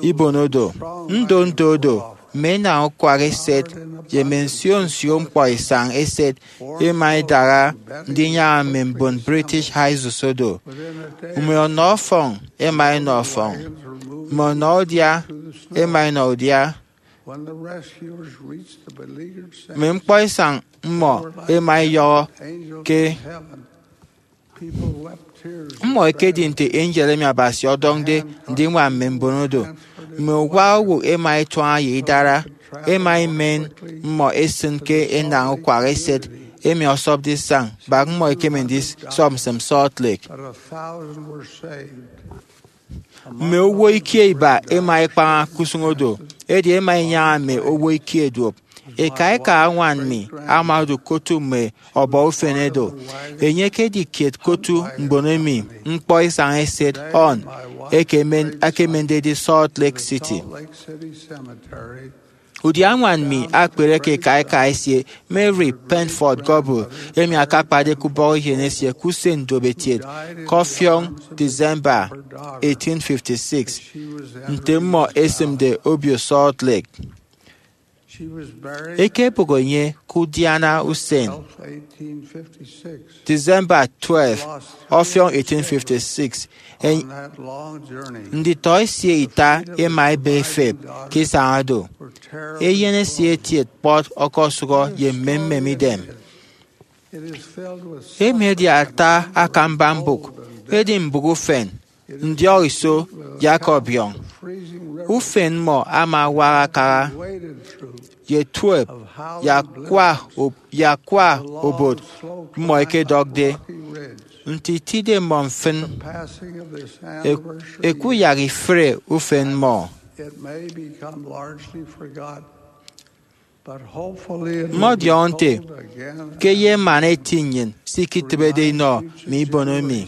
ibonodo. Ndo ndo do, mme enañ ukwak eset, ye mme nsio nsio ñkpọ isañ eset ema idaha ndinyaña mme mbon British High Sosodo. Mme ọnọ ọfọñ ema enọ ọfọñ, mme ọnọ udia ema enọ udia. Mme ñkpọ isañ mmọ ema iyọhọ ke mmọ ekedi nte angel emi Abasi ọdọñde ndiñwam mme mbonodo. Mme uwa owo ema ituaña ye idara, ema imen mmọ esịn ke enañ ukwak eset emi ọsọpde isañ bak mmọ ekeme ndisọp nsịm Salt Lake. Mme owo ikie iba ema ikpaña ke usụñ odo, edi ema inyaña mme owo ikie duop. Eka eka añwan mi ama odu ke otu mme ọbọ ufene do. Enye ekedi kiet ke otu mbon emi ñkpọ isañ eset Hon ekemende edi Salt Lake City. Udia añwan mi akpere ke eka eka esie, Mary Penford Goble, emi akakpade ke ubọk eyen esie ke usen ndomokiet ke ọfiọñ December eighteen fifty-six, nte mmọ esịmde obio Salt Lake. Ekebụk enye ke udiana usen December twelve, ọfiọñ eighteen fifty-six. En- nditọ esie ita ema ebe efep ke isañ odo. Eyen esie etiet kpọt ọkọsụhọ ye mmemmem idem. Emi edi ata akamba mbụk, edi mbụk ufen, ndiọk iso, yak ọbiọñ. Ufen mmọ ama awak akara ye tuep, ye akwa ob- ye akwa obot mmọ ekedọkde. Nte itide mmọ mfịn, e- ekuyak ifre ufen mmọ. Mmọdiọñọ nte ke ye emana eti nnyịn se iketịbede inọ mme ibono mi.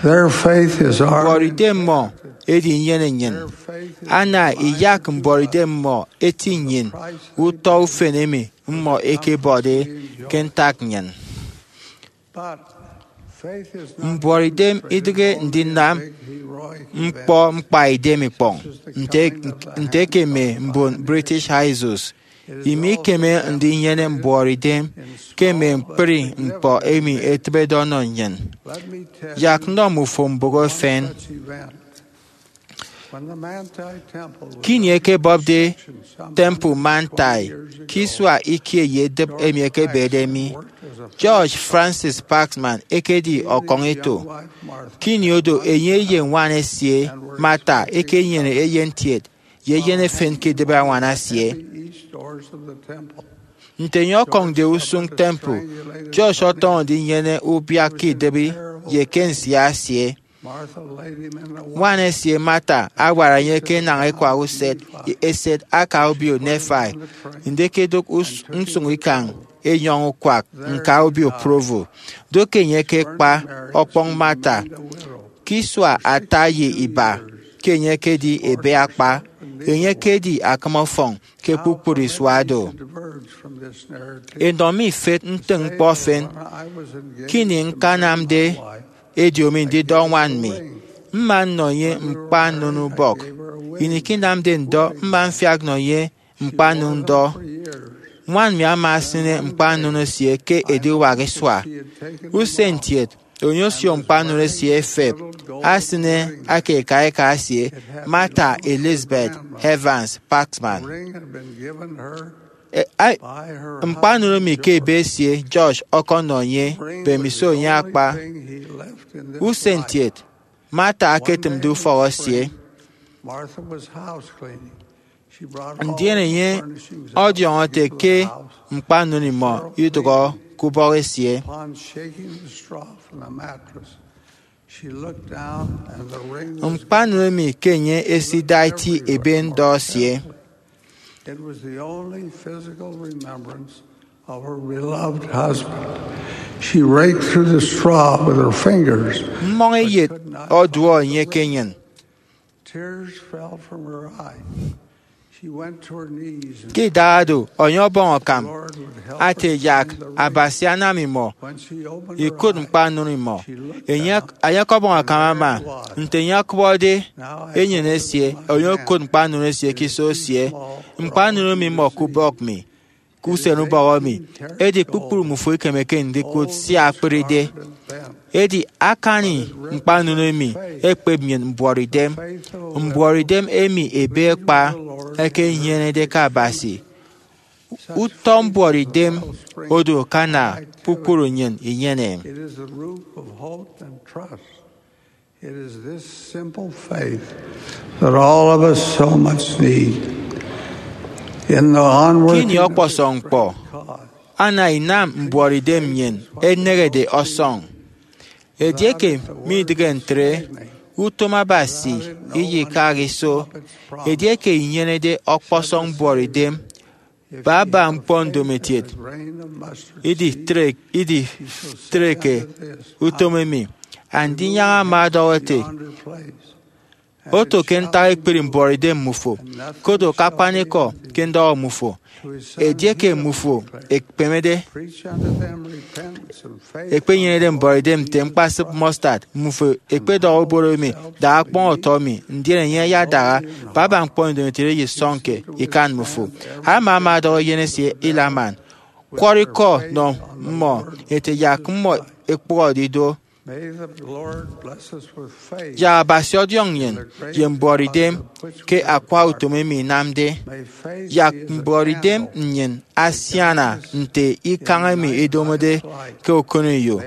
Mbuọtidem mmọ edi inyene nnyịn. Ana iyak mbuọtidem mmọ eti nnyịn utọ ufen emi mmọ ẹkebọde ke ntak nnyịn. Mbuọtidem idịghe ndinam ñkpọ ñkpaidem ikpọñ, nte, nte ke mme mbon British High Sos. Imikeme ndinyene mbuọtidem ke mme ñkpri ñkpọ emi etịbede ọnọ nnyịn. Yak nnọ mmufo mbụk efen. Ke ini ẹkebọpde Temple Manti ke isua ikie ye edịp emi ẹkebede mi, George Francis Paxman ekedi ọkọñeto. Ke ini odo, enye ye ñwan esie, Martha, ekenyene eyen ntiet ye eyen efen ke idịbi añwan esie. Nte enye ọkọñde usụñ temple, George ọtọñọ ndinyene ubiak ke idịbi ye ke nsia esie. Ñwan esie Martha awara enye ke enañ ekwak uset eset aka obio Nephi, ndịkedụk us- nsụñ ikañ enyọñ ukwak ñka obio Provo. Do ke enye ke kpa ọkpọñ Martha. Ke isua ata ye iba ke enye ekedi ebe akpa, enye ekedi akịm ọfọñ ke kpukpru isua do. Enọ mi ifet ntịñ ñkpọ efen. Ke ini ñkanamde ediomi ndidọ ñwan mi, mma nnọ enye ñkpa nnono ubọk. Ini ke inamde ndọ, mma mfiak nnọ enye ñkpa nnono ndọ. Ñwan mi ama esịne ñkpa nnono esie ke ediwak isua. Usen ntiet, enye osio ñkpa nnono esie efep, asịne aka eka eka esie, Martha Elizabeth Evans Paxman. E- a- ñkpa nnono mi ke ebe esie, George ọkọnọ enye mbemiso enye akpa. Usen ntiet, Martha aketịmde ufọk esie. Ndien enye ọdiọñọ ete ke ñkpa nnụnọ imọ idụkhọ ke ubọk esie. Ñkpa nnụnọ emi ke enye esida eti ebe ndọ esie. It was the only physical remembrance of her beloved husband. She raked through the straw with her fingers. Mmọñ eyet ọduọ enye ke enyịn. Tears fell from her eyes. She went to her knees and ke idaha do, enye ọbọñ akam ate yak Abasi anam imọ ikụt ñkpa nnụnọ imọ. Enye ọkọbọñ akam ama nte enye ọkụbọde enyịn esie, enye okụt ñkpa nnụnọ esie ke iso esie. Ñkpa nnụnọ emi imọ ke ubọk mi, ke usen ubọk emi, edi kpukpru mmufo ikemeke ndikụt sia akpịride. Edi akani ñkpa nnụnọ emi ekpep nnyịn mbuọtidem, mbuọtidem emi ebe ekpa eke inyenede ke Abasi. Utọ mbuọtidem odu akana kpukpru nnyịn inyene. It is the root of hope and trust. It is this simple faith that all of us so much need. In the onward ke ini ọkpọsọñ ñkpọ, ana inam mbuọtidem nnyịn enehede ọsọñ. Edieke midịghe ntre, utom Abasi iyikaha iso. Edieke inyenede ọkpọsọñ mbuọtidem, baba ñkpọ ndomokiet iditre-, iditreke utom emi. Andinyaña ama ọdọhọ ete, oto ke ntak ekpri mbuọtidem mmufo, kodo ke akpanikọ ke ndọhọ mmufo. Edieke mmufo ekpemede, ekpenyenede mbuọtidem nte ñkpasịp mustard, mmufo ekpedọhọ ubon emi, daha kpọñ ọtọ mi, ndien enye ayadaha, baba ñkpọ ndomokiet eyesọñke ikan mmufo. Alma ama ọdọhọ eyen esie Helaman, kwọrọ ikọ nọ mmọ, ete yak mmọ ẹkpụhọde ido. May the Lord bless us with faith. Yak Abasi ọdiọñ nnyịn ye mbuọtidem ke akwa utom emi inamde. Yak mbuọtidem nnyịn asiana nte ikañ emi idomode ke okoneyo.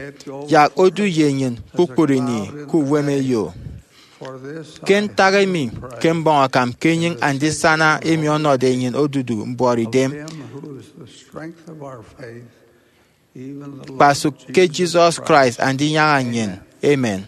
Yak odu ye nnyịn kpukpru ini ke uwem eyo. Ke ntak emi, ke mbọñ akam ke enyịñ andisana emi ọnọde nnyịn odudu mbuọtidem. Kpasụk ke Jesus Christ andinyaña nnyịn. Amen.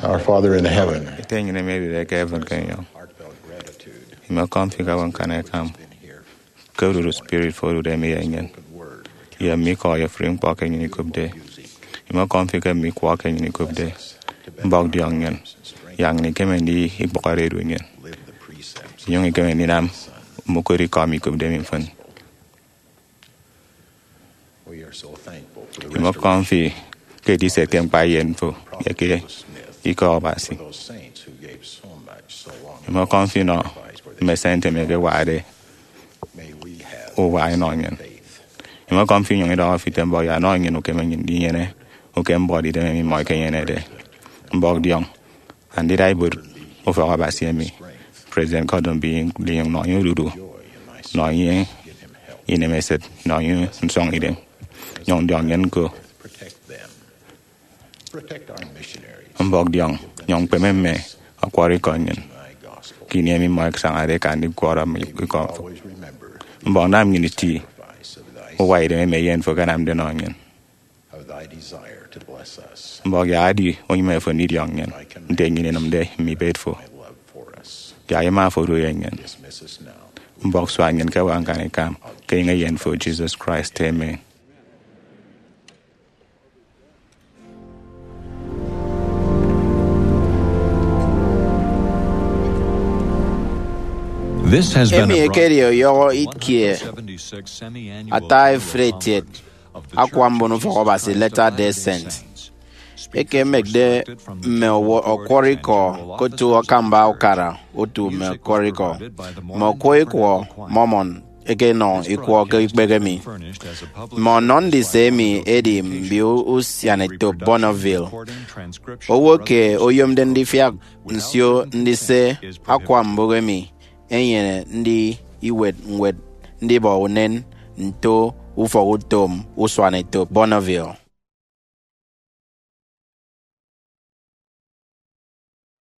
Our Father in heaven, Ete nnyịn emi edide ke heaven ke enyọñ, imekọm fi ke akpanikọ ikañ ke odudu spirit fo odude mi ye nnyịn, ye mme ikọ ye ofụri ñkpọ ke nnyịn ikopde. Imekọm fi ke mme ikwọ ke nnyịn ikopde. Mbọk diọñ nnyịn, yak nnyịn ikeme ndidi ikpọkọde edu nnyịn, inyụñ ikeme ndinam mme ukot ikọ emi ikopde mi mfịn. Imekọm fi ke ediset ke ñkpa eyen fo ye ke ikọ Abasi. Imekọm fi nọ mme saint emi ẹkewade uwa ẹnọ nnyịn. Imekọm fi inyụñ idọhọ fi ite mbọk yak nọ nnyịn ukeme nnyịn ndinyene ukeme mbọt idem emi mmọ ikenyenede. Mbọk diọñ andida ibuot ufọk Abasi emi President Gordon B. Hinckley nọ enye odudu, nọ enye inemesịt, nọ enye nsọñidem. Nyụñ diọñ nnyịn ñko. Mbọk diọñ, nyụñ kpeme mme ọkwọrọ ikọ nnyịn ke ini emi mmọ ẹsañade ẹka ndikwọrọ mme ikọ fo. Mbọk nam nnyịn iti uwa idem emi eyen fo akanamde nọ nnyịn. Mbọk yak edi unyịme fo ndidiọñ nnyịn nte nnyịn inịmde mme ibet fo, yak ima fo odu ye nnyịn. Mbọk sua nnyịn ke akpanikọ ikañ ke enyịñ eyen fo Jesus Christ. Amen. This has been Emi a ekedi ọyọhọ ikie ata efretiet akwa mbon ufọk Abasi Latter-day Saint, eke emekde mme owo ọkwọrọ ikọ ke otu akamba ukara otu mme ọkwọrọ ikọ, mme ọkwọrọ ikọ Mormon eke enọ ikwọ ke ikpehe mi. Mme ọnọ ndise emi edi mbio usian etop Bonneville. Owo ke oyomde ndifiak nsio ndise akwa mbụk emi enyene ndi iwet ñwed ndibọ unen nto ufọk utom usuan etop Bonneville.